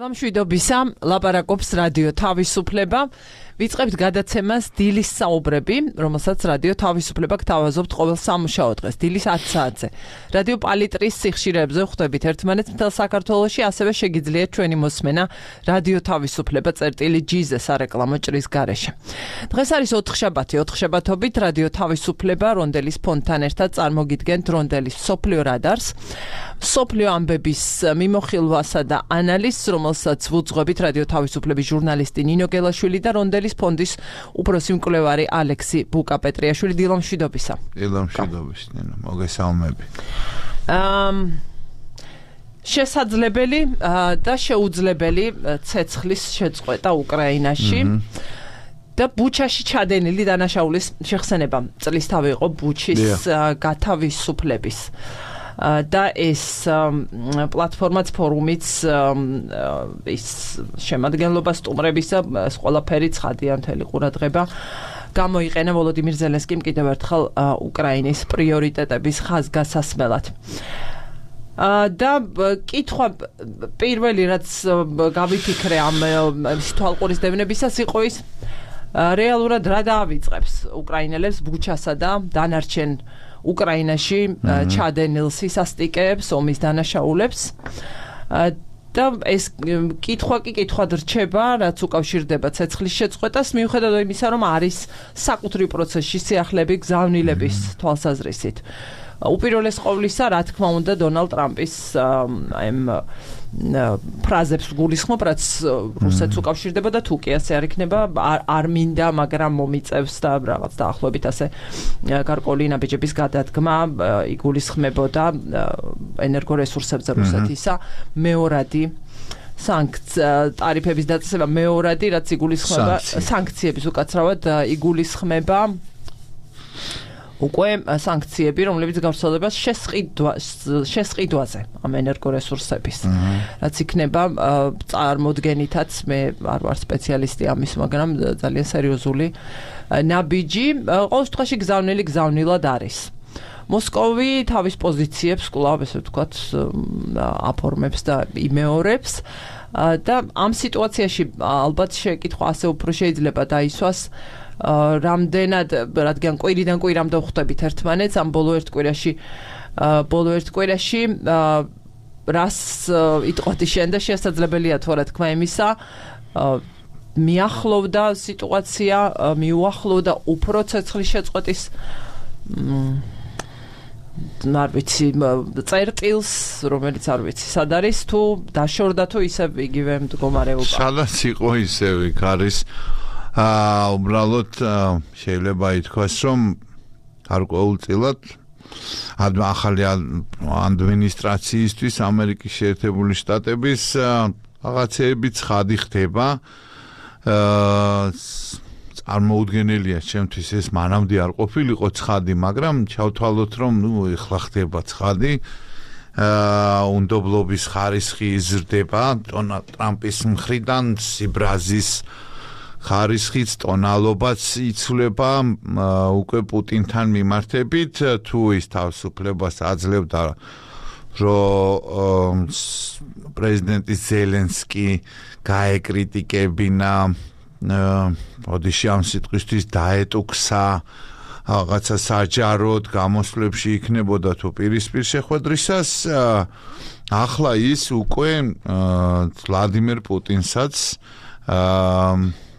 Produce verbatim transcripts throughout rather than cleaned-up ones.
დილამშვიდობისა, ლაპარაკობს რადიო თავისუფლება. ვიწყებთ გადაცემას დილის საუბრები, რომელსაც რადიო თავისუფლება გთავაზობთ ყოველ სამუშაო დღეს, დილის ათ საათზე. რადიო პალიტრის სიხშირეებზე ხვდებით ერთმანეთს მთელ საქართველოში, ასევე შეგიძლიათ ჩვენი მოსმენა რადიო თავისუფლება წერტილი ჯი-ზე სარეკლამო ჭრის გარეშე. დღეს არის ოთხშაბათი, ოთხშაბათობით რადიო თავისუფლება რონდელის ფონდთან ერთად წარმოგიდგენთ რონდელის მსოფლიო რადარს, მსოფლიო ამბების მიმოხილვასა და ანალიზს, რომელსაც ვუძღვებით რადიო თავისუფლების ჟურნალისტი ნინო გელაშვილი და რონდელის ფონდის უფროსი მკვლევარი ალექსი ბუკა-პეტრიაშვილი. დილამშვიდობისა. დილამშვიდობის, ნინო, მოგესალმები. ამ შესაძლებელი და შეუძლებელი ცეცხლის შეწყვეტა უკრაინაში და ბუჩაში ჩადენილი დანაშაულის შეხსენება წლისთავი იყო ბუჩის გათავისუფლების. და ეს პლატფორმაც ფორუმიც ის შემადგენლობა სტუმრებისა ეს ყველაფერი ცხადია მთელი ყურადღება გამოიყენა ვოლოდიმირ ზელენსკიმ კიდევ ერთხელ უკრაინის პრიორიტეტების ხაზგასასმელად. და კითხვა პირველი რაც გავიფიქრე ამ თვალყურის დევნებისას იყო ის რეალურად რა დაავიწყებს უკრაინელებს ბუჩასა და დანარჩენ უკრაინაში ჩადენილ სისასტიკეებს, ომის დანაშაულებს და ეს კითხვა კი კითხვად რჩება, რაც უკავშირდება ცეცხლის შეწყვეტას, მიუხედავად იმისა, რომ არის საკუთრივ პროცესში სიახლეები გზავნილების თვალსაზრისით. უპირველეს ყოვლისა, რა თქმა უნდა, დონალდ ტრამპის ამ ფრაზებს გულისხმობ, რაც რუსეთს უკავშირდება და თუ კი ასე არ იქნება, არ მინდა, მაგრამ მომიწევს და რაღაც დაახლოებით ასე გარკვეული ნაბიჯების გადადგმა იგულისხმებოდა ენერგორესურსებზე რუსეთისა მეორადი ტარიფების დაწესება მეორადი, რაც იგულისხმება სანქციების უკაცრავად იგულისხმება უკვე სანქციები, რომლებიც გავრცელებას შესყიდვაზე ამ ენერგორესურსების. რაც იქნება წარმოდგენითაც, მე არ ვარ სპეციალისტი ამის, მაგრამ ძალიან სერიოზული ნაბიჯი, ყოველ შემთხვევაში გზავნილი გზავნილად არის. მოსკოვი თავის პოზიციებს კვლავ ესე ვთქვათ აფორმებს და იმეორებს და ამ სიტუაციაში ალბათ შეკითხვა ასე უფრო შეიძლება დაისვას რამდენად, რადგან კვირიდან კვირამდე ვხვდებით ერთმანეთს, ამ ბოლო ერთ კვირაში ბოლო ერთ კვირაში რას იტყოდი შენ და შესაძლებელია თუ რა თქმა იმისა მიახლოვდა სიტუაცია, მიუახლოვდა უფრო ცეცხლის შეწყვეტის არ ვიცი წერტილს, რომელიც არ ვიცი სად არის, თუ დაშორდა თუ ისევ იგივე მდგომარეობა. სადაც იყო ისევ იქ არის. აა უბრალოდ შეიძლება ითქვას, რომ გარკვეულწილად ახალი ადმინისტრაციისთვის ამერიკის შეერთებული შტატების რაღაცეები ცხადი ხდება. აა წარმოუდგენელია ჩემთვის ეს მანამდე არ ყოფილიყო ცხადი, მაგრამ ჩავთვალოთ, რომ ნუ ეხლა ხდება ცხადი. აა უნდობლობის ხარისხი იზრდება დონალდ ტრამპის მხრიდან, სიბრაზის ხარისხიც, ტონალობაც იცვლება უკვე პუტინთან მიმართებით, თუ ის თავისუფლებას აძლევდა, რომ პრეზიდენტი ზელენსკი გაეკრიტიკებინა, ოდიში ამ სიტყვისთვის დაეტუქსა, რაღაცა საჯაროდ გამოსვლებში იქნებოდა თუ პირისპირ შეხვედრისას, ახლა ის უკვე ვლადიმერ პუტინსაც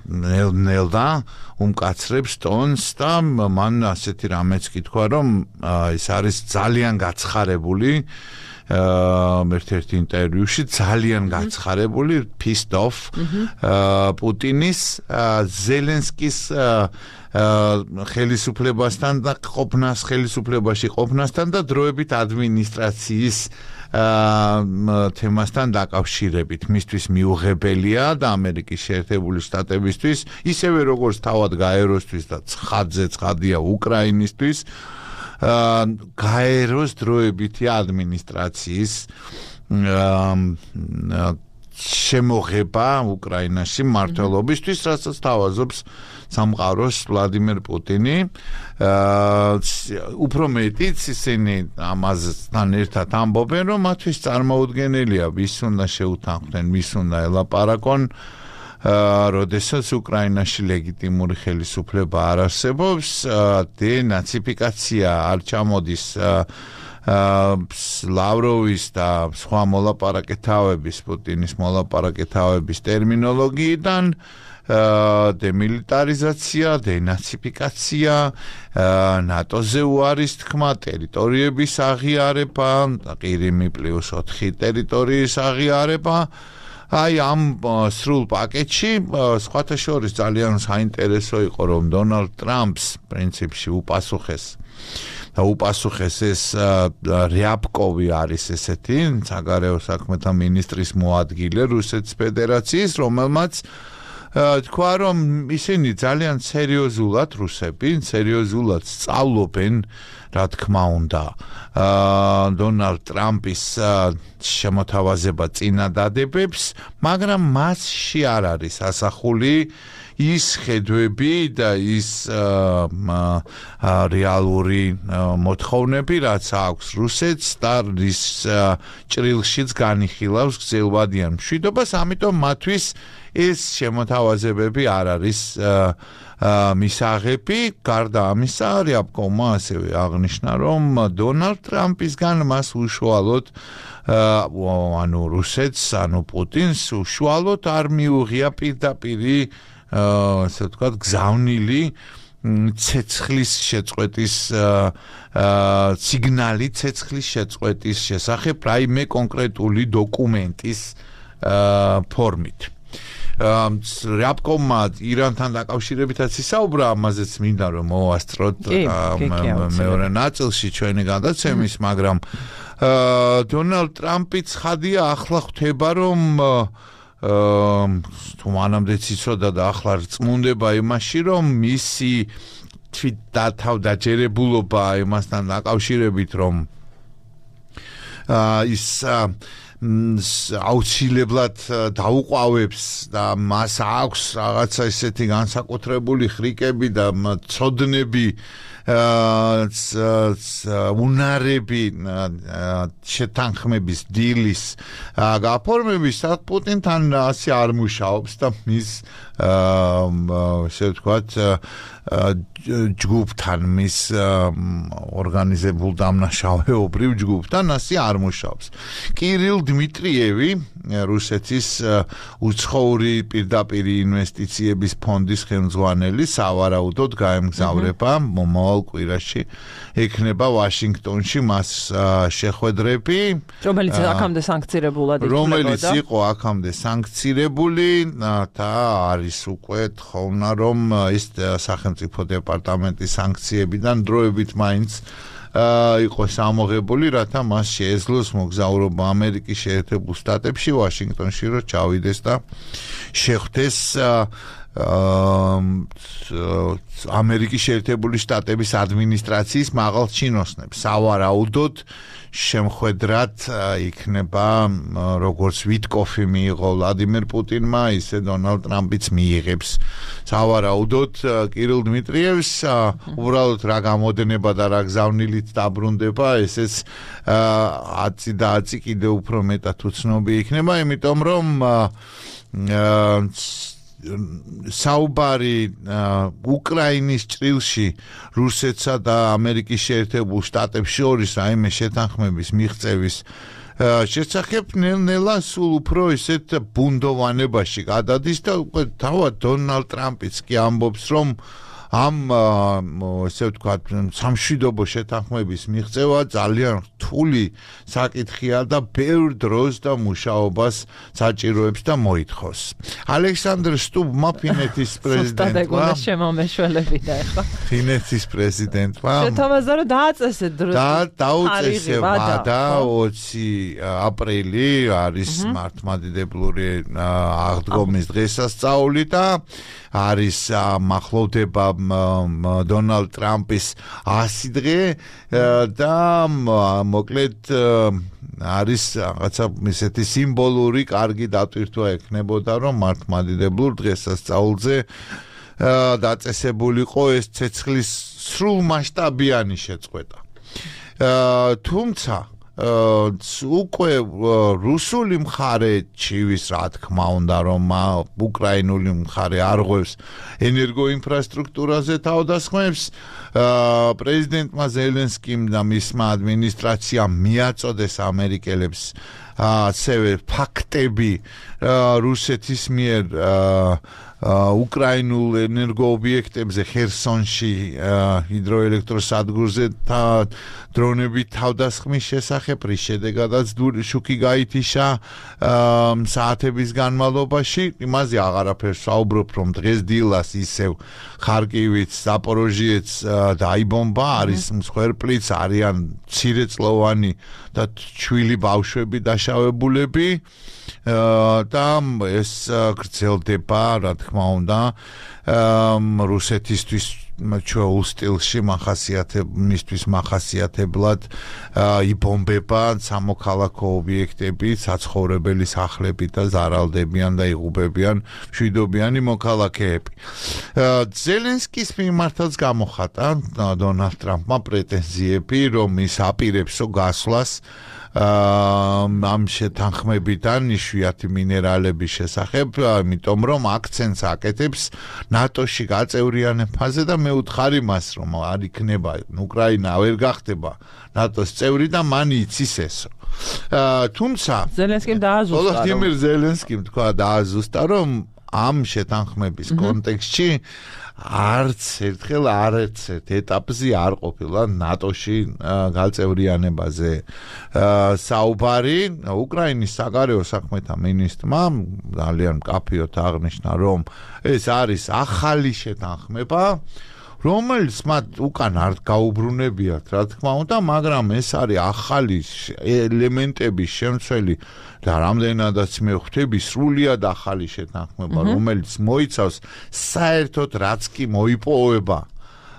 ნელ-ნელა უმკაცრებს ტონს და მან ასეთი რამეც კითხვა, რომ ის არის ძალიან გაცხარებული ერთ-ერთ ინტერვიუში, ძალიან გაცხარებული pissed off პუტინის ზელენსკის ხელისუფლებასთან და ყოფნას ხელისუფლებაში ყოფნასთან და დროებით ადმინისტრაციის თემასთან დაკავშირებით. მისთვის მიუღებელია და ამერიკის შეერთებული შტატებისთვის, ისევე როგორც თავად გაეროსთვის და ცხადზე ცხადია უკრაინისთვის, გაეროს დროებითი ადმინისტრაციის შემოღება უკრაინაში მმართველობისთვის, რასაც თავაზობს სამყაროს ვლადიმერ პუტინი. უფრო მეტიც ისინი ამასთან ერთად ამბობენ, რომ მათთვის წარმოუდგენელია, ვის უნდა შეუთანხმდნენ, ვის უნდა ელაპარაკონ, როდესაც უკრაინაში ლეგიტიმური ხელისუფლება არ არსებობს, დენაციფიკაცია არ ჩამოდის ლავროვის და სხვა მოლაპარაკეთავების, პუტინის მოლაპარაკეთავების ტერმინოლოგიიდან, დემილიტარიზაცია, დენაციფიკაცია, ნატოზე უარის თქმა, ტერიტორიების აღიარება, ყირიმი პლუს ოთხი ტერიტორიის აღიარება. აი ამ სრულ პაკეტში სხვათა შორის ძალიან საინტერესო იყო, რომ დონალდ ტრამპს პრინციპში უპასუხეს და უპასუხეს ეს რიაბკოვი არის ესეთი საგარეო საქმეთა მინისტრის მოადგილე რუსეთის ფედერაციის, რომელმაც თქვა, რომ ისინი ძალიან სერიოზულად რუსები, სერიოზულად სწავლობენ, რა თქმა უნდა, დონალდ ტრამპის შემოთავაზება წინადადებებს, მაგრამ მასში არ არის ასახული ის ხედვები და ის რეალური მოთხოვნები, რაც აქვს რუსეთს და რის ჭრილშიც განიხილავს გრძელვადიან მშვიდობას, ამიტომ მათთვის ეს შემოთავაზებები არ არის მისაღები. გარდა ამისა, რიაბკოვმა ასევე აღნიშნა, რომ დონალდ ტრამპისგან მას უშუალოდ ანუ რუსეთს, ანუ პუტინს უშუალოდ არ მიუღია პირდაპირი ასე ვთქვათ, გზავნილი ცეცხლის შეწყვეტის სიგნალი ცეცხლის შეწყვეტის შესახებ რაიმე კონკრეტული დოკუმენტის ფორმით. რიაბკოვმა ირანთან დაკავშირებითაც ისაუბრა, ამაზეც მინდა რომ მოვასწროთ მეორე ნაწილში ჩვენი გადაცემის, მაგრამ დონალდ ტრამპი ცხადია ახლა ხვდება, რომ თუ მანამდეც იცოდა და ახლა რწმუნდება იმაში, რომ მისი თვით დათავდაჯერებულობა იმასთან დაკავშირებით, რომ ის აუცილებლად დაუყვავებს და მას აქვს რაღაცა ისეთი განსაკუთრებული ხრიკები და ცოდნები, უნარები შეთანხმების დილის გაფორმების, პუტინთან ასე არ მუშაობს და მის ასე ვთქვათ ჯგუფთან, მის ორგანიზებულ დამნაშავეობრივ ჯგუფთან ასე არ მუშაობს. კირილ დმიტრიევი, რუსეთის უცხოური პირდაპირი ინვესტიციების ფონდის ხელმძღვანელი, სავარაუდოდ გაემგზავრება მომავალ კვირაში, ექნება ვაშინგტონში მას შეხვედრები, რომელიც აქამდე სანქცირებულად ითვლებოდა, რომელიც იყო აქამდე სანქცირებული და არის უკვე თხოვნა, რომ ის სახელმწიფო დეპარტამენტის სანქციებიდან დროებით მაინც იყო სამოღებული, რათა მას შეეძლოს მოგზაურობა ამერიკის შეერთებულ შტატებში, ვაშინგტონში, რომ ჩავიდეს და შეხვდეს ამერიკის შეერთებული შტატების ადმინისტრაციის მაღალ ჩინოსნებს. სავარაუდოდ შემხვედრად იქნება, როგორც ვიტკოფი მიიღო ვლადიმერ პუტინმა, ისე დონალდ ტრამპიც მიიღებს. სავარაუდოდ კირილ დმიტრიევს უბრალოდ რა გამოდენება და რა გზავნილით დაბრუნდება, ესეც ათი და ათი კიდევ უფრო მეტად უცნობი იქნება, იმიტომ რომ საუბარი უკრაინის ჭრილში რუსეთსა და ამერიკის შეერთებულ შტატებს შორის რაიმე შეთანხმების მიღწევის შესახებ ნელ-ნელა სულ უფრო ისეთ ბუნდოვანებაში გადადის და თავად დონალდ ტრამპიც კი ამბობს, რომ ამ ესე ვთქვათ სამშვიდობო შეთანხმების მიღწევა ძალიან რთული საკითხია და ბევრ დროს და მუშაობას საჭიროებს და მოითხოვს. ალექსანდრ სტუბმა, ფინეთის პრეზიდენტმა, შემომეშველები და ახლა ფინეთის პრეზიდენტმა შეთავაზა, რომ დააწესეთ დრო და დაუწესება და ოცი აპრილი არის მართლმადიდებლური აღდგომის დღესასწაული და არის მახლოვდება დონალდ ტრამპის ასი დღე და მოკლედ არის რაღაცა ისეთი სიმბოლური კარგი დატვირთვა ექნებოდა რომ მართლმადიდებლურ დღესასწაულზე დაწესებულიყო ეს ცეცხლის სრულმასშტაბიანი შეწყვეტა. თუმცა უკვე რუსული მხარე ჩივის რა თქმა უნდა რომ უკრაინული მხარე არღვევს ენერგოინფრასტრუქტურაზე თავდასხმებს პრეზიდენტმა ზელენსკიმ და მისმა ადმინისტრაციამ მიაწოდეს ამერიკელებს ასევე ფაქტები რუსეთის მიერ უკრაინულ ენერგოობიექტებზე ხერსონში ჰიდროელექტროსადგურზე დრონებით თავდასხმის შესახებ რის შედეგადაც შუქი გაითიშა საათების განმავლობაში იმაზე აღარაფერს საუბრობ რომ დღეს დილას ისევ ხარკივიც ზაპოროჟიეც დაიბომბა არის მსხვერპლიც არიან მცირეწლოვანი და ჩვილი ბავშვები დაშავებულები და ეს გრძელდება რა თქმა უნდა რუსეთისთვის ჩვეულ სტილში მახასიათებლად მახასიათებლად იბომბება სამოქალაქო ობიექტები, საცხოვრებელი სახლები და ზარალდებიან და იღუპებიან მშვიდობიანი მოქალაქეები. ზელენსკის მიმართაც გამოხატა დონალდ ტრამპმა პრეტენზიები, რომ ის აპირებსო გასვლას ამ შეთანხმებიდან იშვიათი მინერალების შესახებ, იმიტომ რომ აქცენტს აკეთებს ნატოში გაწევრიანებაზე და მე ვთხარი მას, რომ არ იქნება უკრაინა ვერ გახდება ნატოს წევრი და მან იცის ესო. თუმცა ზელენსკიმ დააზუსტა. ვოლოდიმირ ზელენსკიმ თქვა დააზუსტა, რომ ამ შეთანხმების კონტექსტში არც ერთხელ არც ერთ ეტაპზე არ ყოფილა ნატოში გაწევრიანებაზე საუბარი. უკრაინის საგარეო საქმეთა მინისტრმა ძალიან მკაფიოდ აღნიშნა, რომ ეს არის ახალი შეთანხმება, რომელიც მათ უკან არ გაუბრუნებიათ, რა თქმა უნდა, მაგრამ ეს არის ახალი ელემენტების შემცველი და რამდენადაც მე ხვდები სრულიად ახალი შეთანხმება, რომელიც მოიცავს საერთოდ რაც კი მოიპოვება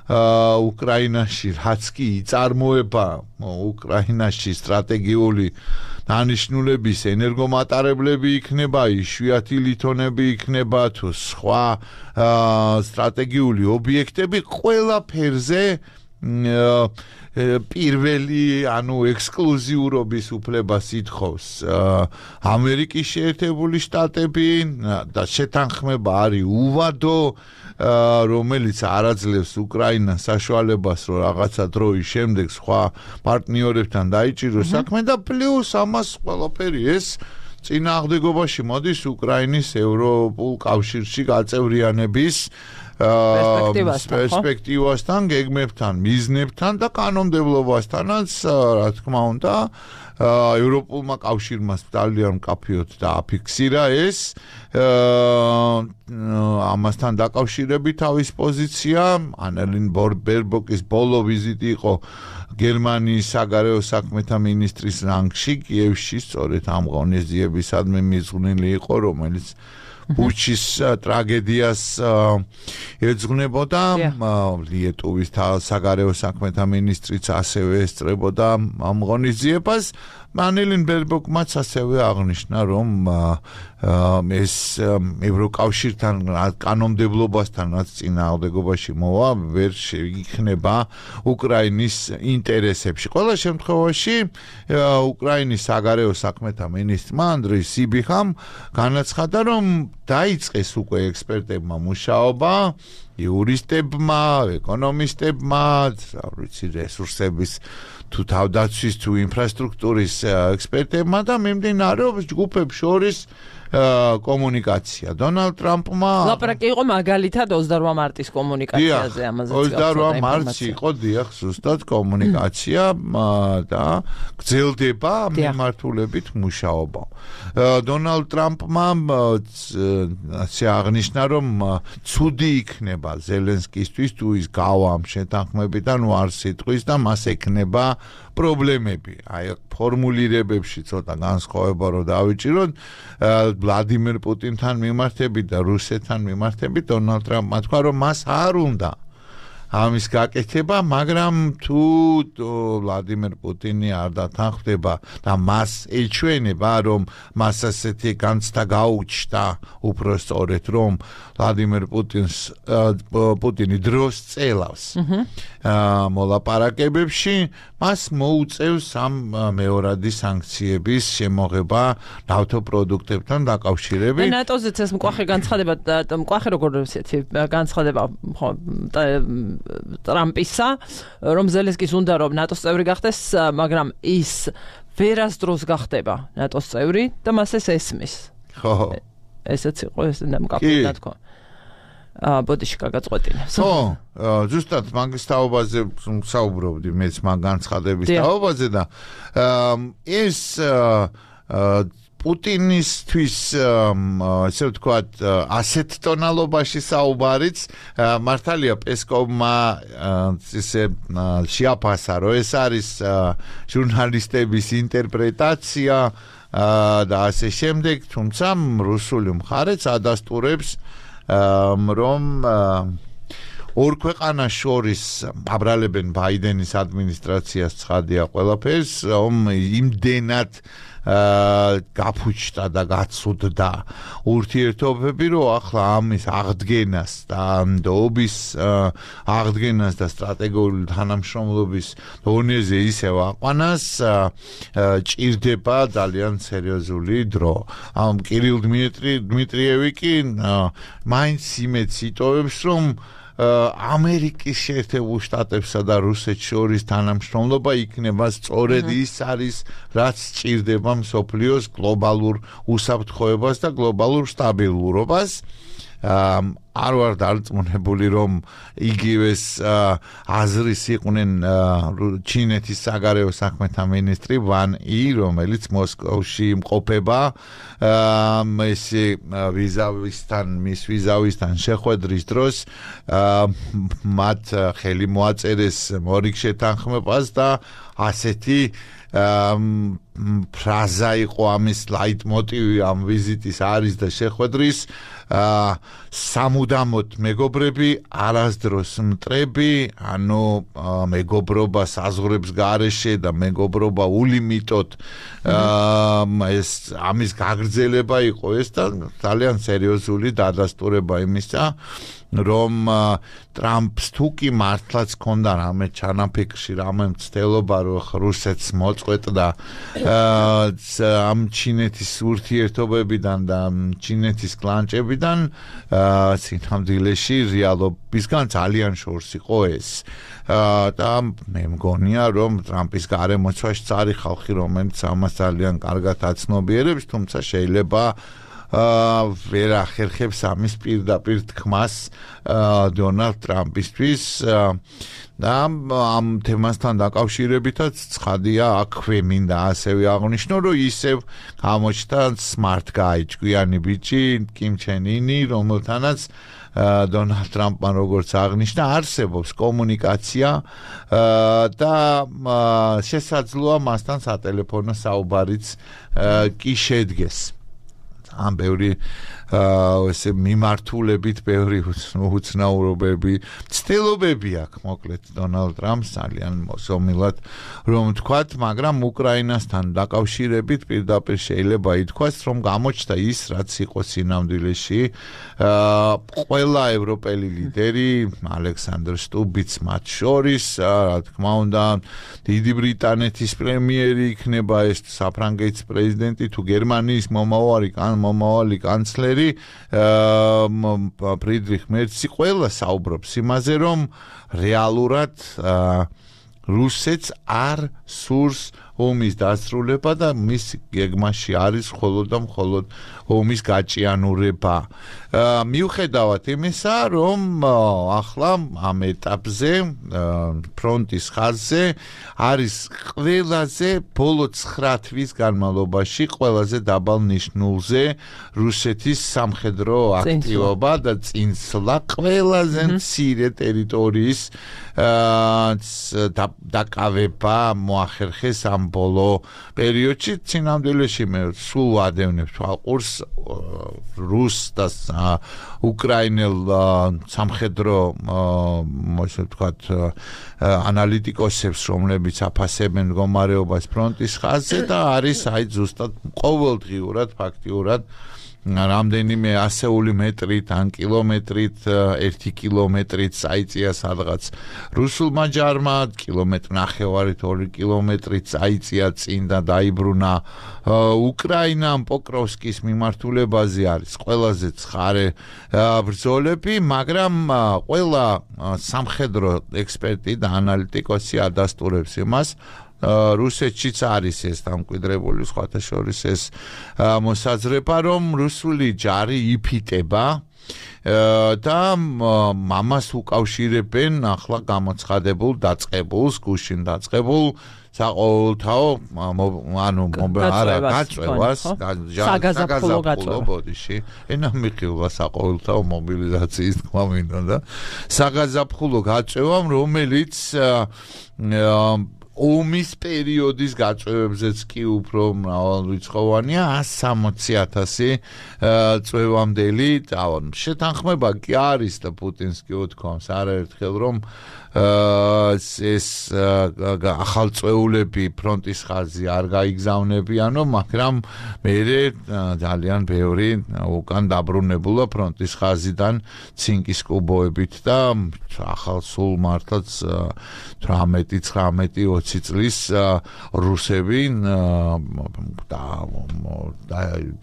უკრაინაში, რაც კი იწარმოება უკრაინაში სტრატეგიული დანიშნულების ენერგომატარებლები იქნება, იშვიათი ლითონები იქნება თუ სხვა სტრატეგიული ობიექტები, ყველაფერზე პირველი, ანუ ექსკლუზიურობის უფლებას ითხოვს ამერიკის შეერთებული შტატები და შეთანხმება არის უვადო, რომელიც არაძლევს უკრაინას საშუალებას, რომ რაღაცა დროის შემდეგ სხვა პარტნიორებთან დაიჭიროს საქმე და პლუს ამას ყველაფერი ეს წინააღმდეგობაში მოდის უკრაინის ევროპულ კავშირში გაწევრიანების პერსპექტივასთან, გეგმებთან, მიზნებთან და კანონმდებლობასთანაც, რა თქმა უნდა, ევროპულმა კავშირმა ძალიან მკაფიოდ დააფიქსირა ეს ამასთან დაკავშირებით თავის პოზიცია. ანელინ ბერბოკის ბოლო ვიზიტი იყო გერმანიის საგარეო საქმეთა მინისტრის რანგში კიევში, სწორედ ამ ღონისძიებისადმი მიძღვნილი იყო, რომელიც ბუჩის ტრაგედიას ეძღვნებოდა. ლიეტუვის საგარეო საქმეთა მინისტრიც ასევე ესწრებოდა ამ ღონისძიებას. ანელინ ბერბოკმაც ასევე აღნიშნა, რომ ეს ევროკავშირთან კანონმდებლობასთან რაც წინააღმდეგობაში მოვა, ვერ შეიქნება უკრაინის ინტერესებში. ყველა შემთხვევაში უკრაინის საგარეო საქმეთა მინისტრმა ანდრეი სიბიხამ განაცხადა, რომ დაიწყეს უკვე ექსპერტებმა მუშაობა, იურისტებმა, ეკონომისტებმა, რა ვიცი, რესურსების თუ თავდაცვის თუ ინფრასტრუქტურის ექსპერტებმა და მიმდინარეობს ჯგუფებს შორის კომუნიკაცია. დონალდ ტრამპმა ლაპარაკი იყო მაგალითად ოცდაორმა მარტის კომუნიკაციაზე, ამაზე ოცდაორმა მარტში იყო დიახ ზუსტად კომუნიკაცია და გრძელდება მიმართულებით მუშაობა. დონალდ ტრამპმა ასე აღნიშნა, რომ ცუდი იქნება ზელენსკისთვის თუ ის გავა ამ შეთანხმებიდან ვარ სიტყვის და მას ექნება პრობლემები. აი ფორმულირებებში ცოტა განსხვავება რო დავიჭიროთ, ვლადიმერ პუტინთან მიმართებით და რუსეთთან მიმართებით დონალდ ტრამპმა თქვა, რომ მას არ უნდა ამის გაკეთება, მაგრამ თუ ვლადიმერ პუტინი არ დათანხმდება და მას ეჩვენება, რომ მას ასეთი განცდა გაუჩნდა, უფრო სწორედ რომ ვლადიმერ პუტინს პუტინი დროს წელავს მოლაპარაკებებში, მას მოუწევს ამ მეორადი სანქციების შემოღება ნავთობპროდუქტებთან დაკავშირებით. ნატოზეც ეს მკვახე განცხადება, მკვახე როგორ ისეთი განცხადება ტრამპისა, რომ ზელენსკის უნდა რომ ნატოს წევრი გახდეს, მაგრამ ის ვერასდროს გახდება ნატოს წევრი და მას ეს ესმის. ხო. ესეც იყო ეს ნამკაფი თქო. აა ბოდიში გაგაწყვეტინა. ხო, ზუსტად მაგის თაობაზე საუბრობდი მეც მაგ განცხადების თაობაზე და ეს პუტინისთვის ესე ვთქვათ ასეთ ტონალობაში საუბარიც მართალია პესკოვმა ესე შეაფასა, რომ ეს არის ჟურნალისტების ინტერპრეტაცია და ასე შემდეგ, თუმცა რუსული მხარეც ადასტურებს რომ ორ ქვეყანას შორის აბრალებენ ბაიდენის ადმინისტრაციას ცხადია ყველაფერს, რომ იმდენად გაფუჭდა და გაცუდდა ურთიერთობები, რომ ახლა ამის აღდგენას და ნდობის აღდგენას და სტრატეგიული თანამშრომლობის დონეზე ისევ აყვანას ჭირდება ძალიან სერიოზული დრო. ამ კირილ დმიტრიევი კი მაინც იმედს იტოვებს, რომ ამერიკის შეერთებულ შტატებსა და რუსეთს შორის თანამშრომლობა იქნება სწორედ ის არის, რაც სჭირდება მსოფლიოს გლობალურ უსაფრთხოებას და გლობალურ სტაბილურობას. არ ვარ დარწმუნებული, რომ იგივეს აზრის იყვნენ ჩინეთის საგარეო საქმეთა მინისტრი ვან ი, რომელიც მოსკოვში იმყოფება ესე ვიზავისთან, მის ვიზავისთან შეხვედრის დროს მათ ხელი მოაწერეს მორიგ შეთანხმებას და ასეთი ფრაზა იყო ამის ლაიტმოტივი ამ ვიზიტის არის და შეხვედრის სამუდამოდ მეგობრები, არასდროს მტრები, ანუ მეგობრობა საზღვრებს გარეშე და მეგობრობა ულიმიტოდ ეს ამის გაგრძელება იყო ეს და ძალიან სერიოზული დადასტურება იმისა, რომ ტრამპს თუ კი მართლაც ჰქონდა რამე ჩანაფიქრში, რამე მცდელობა, რომ რუსეთს მოწყვეტდა ამ ჩინეთის ურთიერთობებიდან და ჩინეთის კლანჭებიდან, სინამდვილეში რეალობისგან ძალიან შორს იყო ეს. და მე მგონია, რომ ტრამპის გარემოცვაში წარი ხალხი, რომელიც ამას ძალიან კარგად აცნობიერებს, თუმცა შეიძლება ვერ ახერხებს ამის პირდაპირ თქმას დონალდ ტრამპისთვის და ამ თემასთან დაკავშირებითაც ცხადია, აქვე მინდა ასევე აღნიშნო, რომ ისევ გამოჩნდა smart guy, ჭკვიანი ბიჭი, კიმ ჩენ ინი, რომელთანაც დონალდ ტრამპმა როგორც აღნიშნა, არსებობს კომუნიკაცია და შესაძლოა მასთან სატელეფონო საუბარიც კი შედგეს. ამ ბევრი ესე მიმართულებით ბევრი უცნაურობები, ცდილობები აქვს მოკლედ დონალდ ტრამპს ძალიან მოსომილად რომ თქვათ, მაგრამ უკრაინასთან დაკავშირებით პირდაპირ შეიძლება ითქვას, რომ გამოჩნდა ის, რაც იყო სინამდვილეში ყველა ევროპელი ლიდერი, ალექსანდრ სტუბიც მათ შორის, რა თქმა უნდა, დიდი ბრიტანეთის პრემიერი იქნება ეს საფრანგეთის პრეზიდენტი თუ გერმანიის მომავალი მომავალი კანცლერი ფრიდრიხ მერცი ყველა საუბრობს იმაზე, რომ რეალურად რუსეთს არ სურს ომის დასრულება და მის გეგმაში არის მხოლოდ და მხოლოდ ომის გაჭიანურება. მიუხედავად იმისა, რომ ახლა ამ ეტაპზე ფრონტის ხაზზე არის ყველაზე ბოლო ცხრა თვის განმავლობაში ყველაზე დაბალ ნიშნულზე რუსეთის სამხედრო აქტივობა და წინსვლა ყველაზე მცირე ტერიტორიის დაკავება მოახერხეს ამ ამ ბოლო პერიოდში წინამდვილეში მე სულ ვადევნებ თვალყურს რუს და უკრაინელ სამხედრო ასე ვთქვათ ანალიტიკოსებს, რომლებიც აფასებენ მდგომარეობას ფრონტის ხაზზე და არის აი ზუსტად ყოველდღიურად ფაქტიურად რამდენიმე ასეული მეტრით ან კილომეტრით ერთი კილომეტრით წაიწია სადღაც რუსულმა ჯარმა კილომეტრ ნახევარით ორი კილომეტრით წაიწია წინ და დაიბრუნა უკრაინამ პოკროვსკის მიმართულებაზე არის ყველაზე ცხარე ბრძოლები, მაგრამ ყველა სამხედრო ექსპერტი და ანალიტიკოსი ადასტურებს იმას რუსეთშიც არის ეს დამკვიდრებული სხვათა შორის ეს მოსაზრება, რომ რუსული ჯარი იფიტება და მამას უკავშირებენ ახლა გამოცხადებულ დაწყებულს, გუშინ დაწყებულ საყოველთაო ანუ არა გაწევას საგაზაფხულო გაწევა ბოდიში ენა მიხილვა საყოველთაო მობილიზაციის თქმა მინდოდა საგაზაფხულო გაწევამ, რომელიც ომის პერიოდის გაწევებზეც კი უფრო მრავალრიცხოვანია ათს სამოცი ათასი წვევამდელი შეთანხმება კი არის და პუტინს კი უთქვამს არაერთხელ რომ ეს ახალწვეულები ფრონტის ხაზზე არ გაიგზავნებიანო, მაგრამ მერე ძალიან ბევრი უკან დაბრუნებულა ფრონტის ხაზიდან ცინკის კუბოებით და ახალ სულ მართლაც თვრამეტი ცხრამეტი ოცი წლის რუსები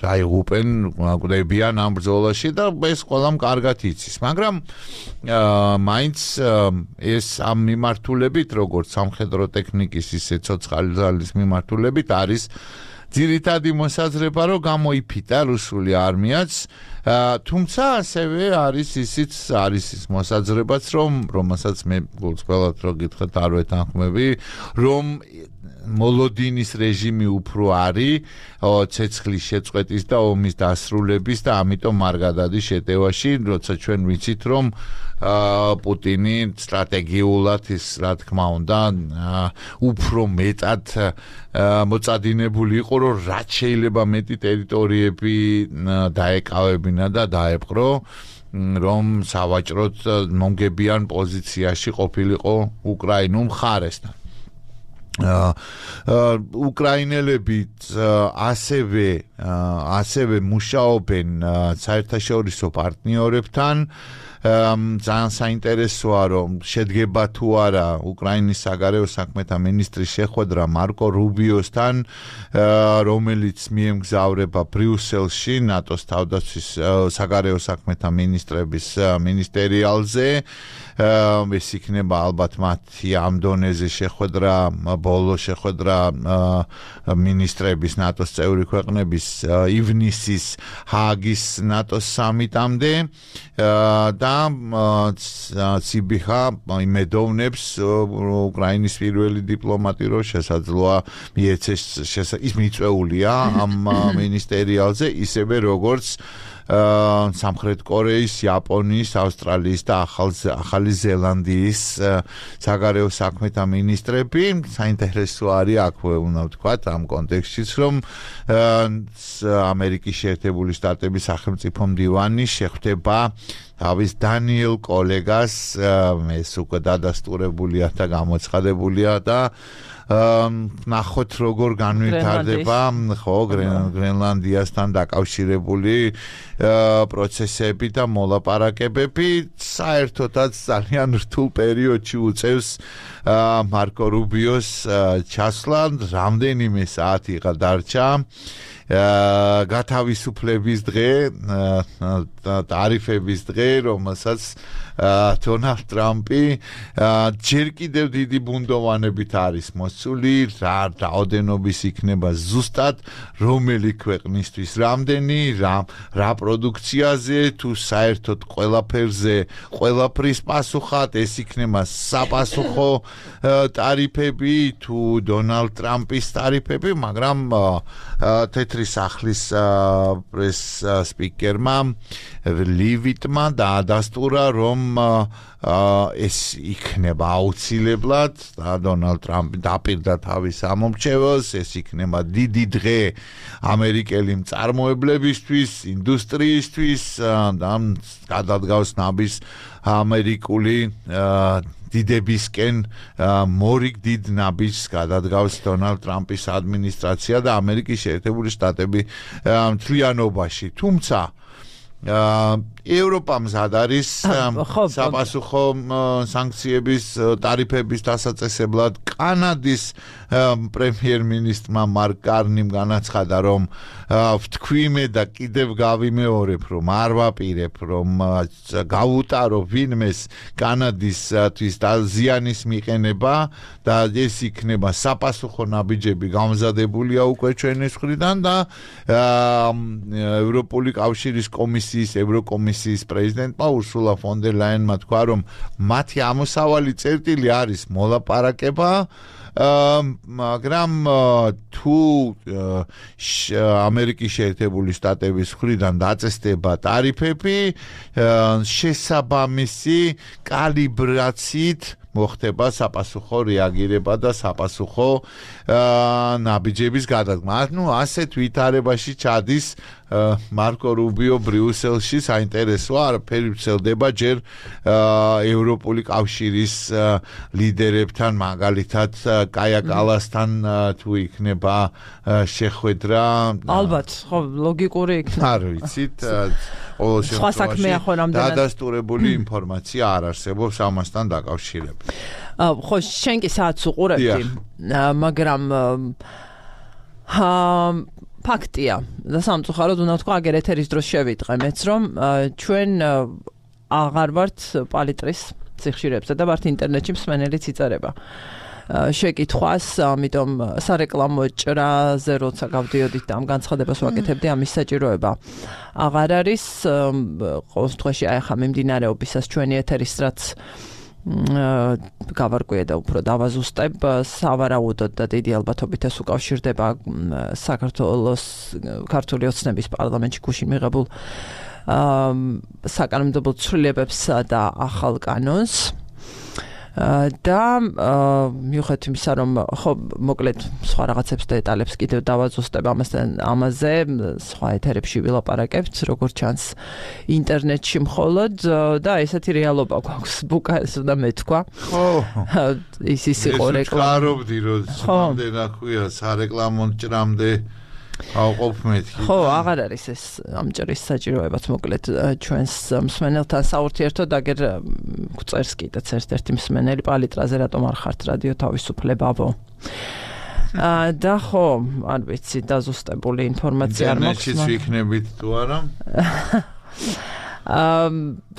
დაიღუპენ გვდებიან ამ ბრძოლაში და ეს ყველამ კარგად იცის, მაგრამ მაინც ეს ამ მიმართულებით, როგორც სამხედრო ტექნიკის ისე ცოცხალი ძალის მიმართულებით არის ძირითადი მოსაზრება, რომ გამოიფიტა რუსული არმიაც, თუმცა ასევე არის ისიც არის ის მოსაზრებაც, რომ რომელსაც მე გულწრფელად რო გითხრათ არ ვეთანხმები, რომ მოლოდინის რეჟიმი უფრო არის ცეცხლის შეწყვეტის და ომის დასრულების და ამიტომ არ გადადის შეტევაში, როცა ჩვენ ვიცით, რომ პუტინი სტრატეგიულად ის რა თქმა უნდა უფრო მეტად მოწადინებული იყო, რომ რაც შეიძლება მეტი ტერიტორიები დაეკავებინა და დაეპყრო, რომ სავაჭროდ მომგებიან პოზიციაში ყოფილიყო უკრაინულ მხარესთან. უკრაინელები ასევე ასევე მუშაობენ საერთაშორისო პარტნიორებთან, ძალიან საინტერესოა, რომ შედგება თუ არა უკრაინის საგარეო საქმეთა მინისტრის შეხვედრა მარკო რუბიოსთან, რომელიც მიემგზავრება ბრიუსელში ნატოს თავდაცვის საგარეო საქმეთა მინისტრების მინისტერიალზე. ეს იქნება ალბათ მათი ამ დონეზე შეხვედრა, ბოლო შეხვედრა მინისტრების ნატოს წევრი ქვეყნების ივნისის ჰააგის ნატოს სამიტამდე და ციბიხა იმედოვნებს უკრაინის პირველი დიპლომატი რო შესაძლოა მიეცეს ის მიწვეულია ამ მინისტერიალზე, ისევე როგორც სამხრეთ კორეის, იაპონიის, ავსტრალიის და ახალი ზელანდიის საგარეო საქმეთა მინისტრები. საინტერესო არის აქვე უნდა ვთქვათ ამ კონტექსტშიც, რომ ამერიკის შეერთებული შტატების სახელმწიფო მდივანი შეხვდება თავის დანიელ კოლეგას, ეს უკვე დადასტურებულია და გამოცხადებულია და ნახოთ როგორ განვითარდება ხო გრენლანდიასთან დაკავშირებული პროცესები და მოლაპარაკებები. საერთოდაც ძალიან რთულ პერიოდში უწევს მარკო რუბიოს ჩასვლა, რამდენიმე საათი გადარჩა გათავისუფლების დღე, ტარიფების დღე, რომელსაც დონალდ ტრამპი ჯერ კიდევ დიდი ბუნდოვანებით არის მოსული, რა რაოდენობის იქნება ზუსტად რომელი ქვეყნისთვის რამდენი, რა რა პროდუქციაზე, თუ საერთოდ ყველაფერზე ყველაფრის პასუხად, ეს იქნება საპასუხო ტარიფები თუ დონალდ ტრამპის ტარიფები, მაგრამ თეთრი სახლის პრეს სპიკერმა ლივიტმა დაადასტურა, რომ ეს იქნება აუცილებლად და დონალდ ტრამპი დაპირდა თავის ამომრჩეველს, ეს იქნება დიდი დღე ამერიკელი მწარმოებლებისთვის, ინდუსტრიისთვის და გადადგავს ნაბის ამერიკული დიდებისკენ მორიგ დიდ ნაბიჯს გადადგავს დონალდ ტრამპის ადმინისტრაცია და ამერიკის შეერთებული შტატები მთლიანობაში. თუმცა ევროპა მზად არის საპასუხო სანქციების ტარიფების დასაწესებლად. კანადის პრემიერ-მინისტრმა მარკ კარნიმ განაცხადა, რომ ვთქვიმე და კიდევ გავიმეორებ, რომ არ ვაპირებ, რომ გავუტარო ვინმეს კანადისთვის ზიანის მიყენება და ეს იქნება საპასუხო ნაბიჯები გამზადებულია უკვე ჩვენი მხრიდან და ევროპული კავშირის კომისიის ევროკომისიის პრეზიდენტმა ურსულა ფონ დერ ლაიენმა თქვა, რომ მათი ამოსავალი წერტილი არის მოლაპარაკება, მაგრამ თუ ამერიკის შეერთებული შტატების მხრიდან დაწესდება ტარიფები, შესაბამისი კალიბრაციით მოხდება საპასუხო რეაგირება და საპასუხო ნაბიჯების გადადგმა. ნუ ასეთ ვითარებაში ჩადის მარკო რუბიო ბრიუსელში. საინტერესოა, არაფერი ვრცელდება ჯერ ევროპული კავშირის ლიდერებთან, მაგალითად კაია კალასთან თუ იქნება შეხვედრა. ალბათ, ხო, ლოგიკური იქნება. არ ვიცით, ყოველ შემთხვევაში დადასტურებული ინფორმაცია არ არსებობს ამასთან დაკავშირებით. ხო, შენ კი საათს უყურებდი, მაგრამ ფაქტია და სამწუხაროდ უნდა ვთქვა, აგერ ეთერის დროს შევიტყე მეც, რომ ჩვენ აღარ ვართ პალიტრის სიხშირეებზე და ვართ ინტერნეტში მსმენელიც იწერება შეკითხვას, ამიტომ სარეკლამო ჭრაზე როცა გავდიოდით და ამ განცხადებას ვაკეთებდი, ამის საჭიროება აღარ არის. ყოველ შემთხვევაში აი ახლა მიმდინარეობისას ჩვენი ეთერის რაც გავარკვიე და უფრო დავაზუსტებ, სავარაუდოდ და დიდი ალბათობით ეს უკავშირდება საქართველოს ქართული ოცნების პარლამენტში გუშინ მიღებულ საკანონმდებლო ცვლილებებსა და ახალ კანონს. და მიუხედავად იმისა, რომ ხო მოკლედ სხვა რაღაცებს და დეტალებს კიდევ დავაზუსტებ ამასთან ამაზე, სხვა ეთერებში ვილაპარაკებთ, როგორც ჩანს ინტერნეტში მხოლოდ და ესეთი რეალობა გვაქვს, ბუკას უნდა მეთქვა. ხო. ის ის იყო რეკლამა. ხარობდი, რომ სამდენ აქვია სარეკლამო ჭრამდე ავყოფ მეთქი. ხო, აღარ არის ეს ამ ჭრის საჭიროებაც, მოკლედ ჩვენს მსმენელთან საურთიერთოდ აგერ გვწერს კიდეც ერთ-ერთი მსმენელი, პალიტრაზე რატომ არ ხართ რადიო თავისუფლებავო. და ხო, არ ვიცი, დაზუსტებული ინფორმაცია არ მაქვს. ინტერნეტშიც ვიქნებით თუ არა?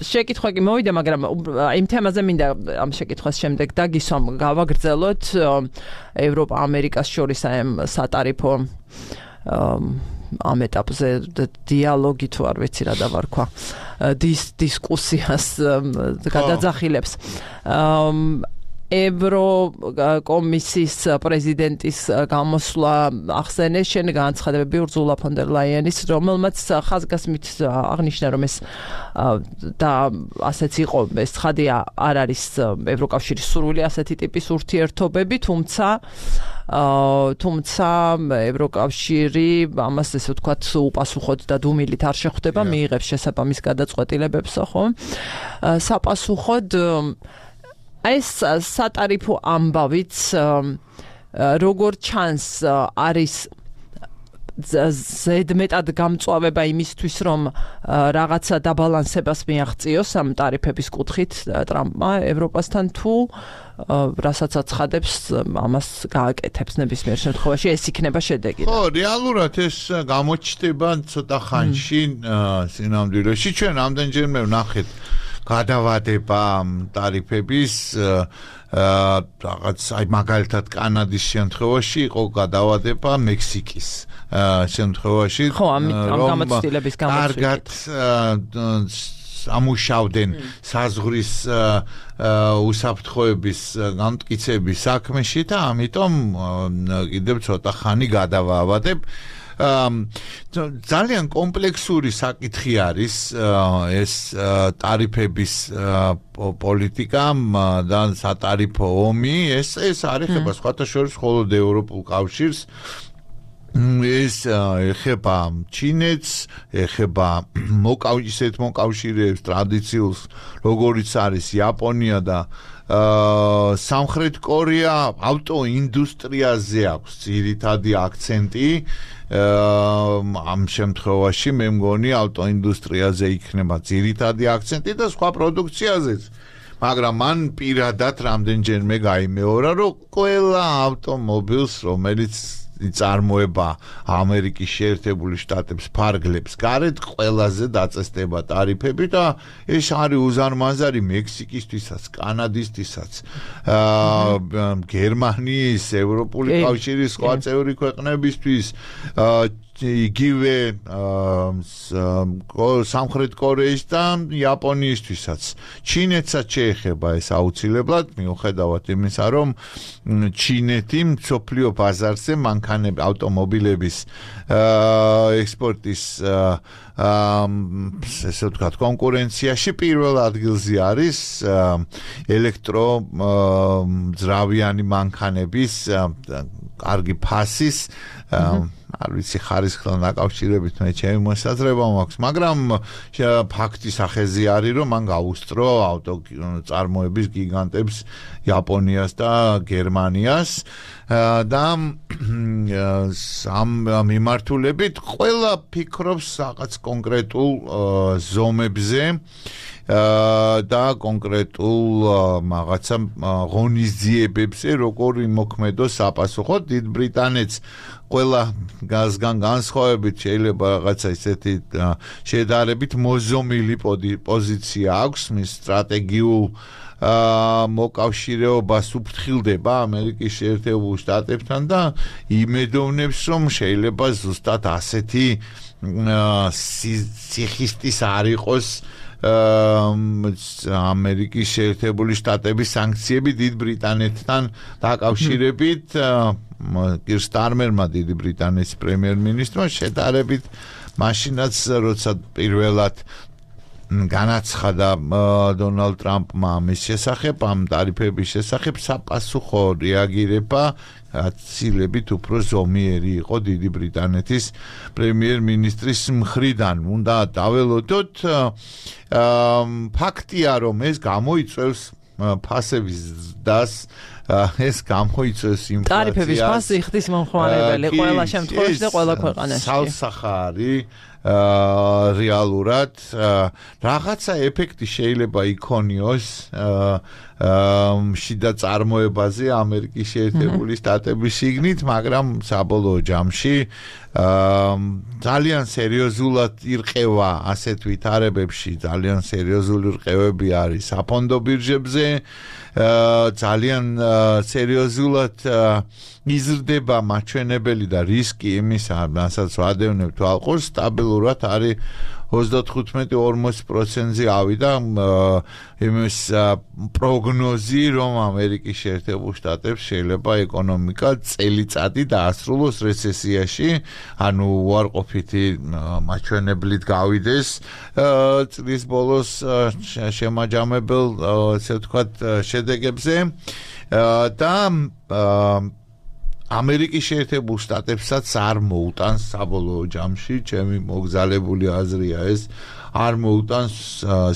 შეკითხვა კი მოვიდა, მაგრამ იმ თემაზე მინდა ამ შეკითხვის შემდეგ დაგისვამ, გავაგრძელოთ ევროპა ამერიკას შორის აი ამ სატარიფო ამ ეტაპზე დიალოგი თუ არ ვიცი რა დავარქვა დისკუსიას გადაძახილებს. ევროკომისიის პრეზიდენტის გამოსვლა ახსენეს, შენ განცხადებები ურსულა ფონ დერ ლაიენის, რომელმაც ხაზგასმით აღნიშნა, რომ ეს და ასეც იყო, ეს ცხადია, არ არის ევროკავშირის სურვილი ასეთი ტიპის ურთიერთობები, თუმცა თუმცა ევროკავშირი ამას ესე ვთქვათ უპასუხოდ და დუმილით არ შეხვდება, მიიღებს შესაბამის გადაწყვეტილებებს, ხო? საპასუხოდ ეს სატარიფო ამბავიც როგორც ჩანს არის ზედმეტად გამწვავება იმისთვის, რომ რაღაცა დაბალანსებას მიაღწიოს ამ ტარიფების კუთხით ტრამპმა ევროპასთან, თუ რასაც აცხადებს, ამას გააკეთებს ნებისმიერ შემთხვევაში, ეს იქნება შედეგი. ხო, რეალურად ეს გამოჩნდება ცოტა ხანში სინამდვილეში. ჩვენ ამდენჯერმე ვნახეთ გადავადება ტარიფების რაღაც აი მაგალითად კანადის შემთხვევაში იყო გადავადება მექსიკის შემთხვევაში, ხო, ამ გამოცდილების გამოცდილებით კარგად ამუშავდნენ საზღვრის უსაფრთხოების გამტკიცების საქმეში და ამიტომ კიდევ ცოტა ხანი გადავაავადებ. ძალიან კომპლექსური საკითხი არის ეს ტარიფების პოლიტიკა და სატარიფო ომი ეს ეს არ ეხება სხვათა შორის მხოლოდ ევროპულ კავშირს ეს ეხება ჩინეთს ეხება მოკავშირეებს მოკავშირეებს ტრადიციულს როგორიც არის იაპონია და სამხრეთ კორეა ავტოინდუსტრიაზე აქვს ძირითადი აქცენტი ამ შემთხვევაში მე მგონი ავტოინდუსტრიაზე იქნება ძირითადი აქცენტი და სხვა პროდუქციაზეც მაგრამ მან პირადად რამდენჯერმე გაიმეორა რომ ყველა ავტომობილს რომელიც წარმოება ამერიკის შეერთებული შტატებს ფარგლებს გარეთ ყველაზე დაწესდება ტარიფები და ეს არის უზარმაზარი მექსიკისთვისაც კანადისთვისაც გერმანიის ევროპული კავშირის სხვა წევრი ქვეყნებისთვის იგივე სამხრეთ კორეის და იაპონიისთვისაც ჩინეთსაც შეეხება ეს აუცილებლად მიუხედავად იმისა რომ ჩინეთი მსოფლიო ბაზარზე მანქანები ავტომობილების ექსპორტის ესე ვთქვათ კონკურენციაში პირველ ადგილზე არის ელექტრო ძრავიანი მანქანების კარგი ფასის არ ვიცი ხარისხთან დაკავშირებით მე ჩემი მოსაზრება მაქვს მაგრამ ფაქტი სახეზე არის რომ მან გაუსწრო ავტო წარმოების გიგანტებს იაპონიას და გერმანიას და ამ მიმართულებით ყველა ფიქრობს რაღაც კონკრეტულ ზომებზე და კონკრეტულ რაღაცა ღონისძიებებზე როგორ იმოქმედოს საპასუხოდ დიდ ბრიტანეთს ყველა გაზგან განსხვავებით შეიძლება რაღაცა ისეთი შედარებით მოზომილი პოზიცია აქვს მის სტრატეგიულ მოკავშირეობას უფრთხილდება ამერიკის შეერთებულ შტატებთან და იმედოვნებს რომ შეიძლება ზუსტად ასეთი სიხისტის არ იყოს ამერიკის შეერთებული შტატების სანქციები დიდ ბრიტანეთთან დაკავშირებით კირ სტარმერმა დიდი ბრიტანეთის პრემიერ-მინისტრმა შედარებით მაშინაც როცა პირველად განაცხადა დონალდ ტრამპმა ამის შესახებ ამ ტარიფების შესახებ საპასუხო რეაგირება აცილებით უფრო ზომიერი იყო დიდი ბრიტანეთის პრემიერ-მინისტრის მხრიდან უნდა დაველოდოთ ფაქტია რომ ეს გამოიწვევს ფასების დას ეს გამოიწვევს ინფლაციას ტარიფების ფასი ხდის მომხმარებელი ყველა შემთხვევაში და ყველა ქვეყანაში სალსახარი რეალურად რაღაცა ეფექტი შეიძლება იქონიოს შიდა წარმოებაზე ამერიკის შეერთებული შტატების შიგნით მაგრამ საბოლოო ჯამში ძალიან სერიოზულად ირყევა ასეთ ვითარებებში ძალიან სერიოზული რყევები არის საფონდო ბირჟებზე ძალიან სერიოზულად იზრდება მაჩვენებელი და რისკი იმისა, რასაც ვადევნებთ ალყურს, სტაბილურად არის ოცდათხუთმეტი ორმოცი პროცენტზე ავიდა იმის პროგნოზი, რომ ამერიკის შეერთებულ შტატებს შეიძლება ეკონომიკა წელიწადი დაასრულოს რეცესიაში, ანუ უარყოფითი მაჩვენებლით გავიდეს წლის ბოლოს შემაჯამებელ, ესე ვთქვათ, შედეგებზე და ამერიკის შეერთებულ შტატებსაც არ მოუტანს საბოლოო ჯამში, ჩემი მოგზალებული აზრია ეს, არ მოუტანს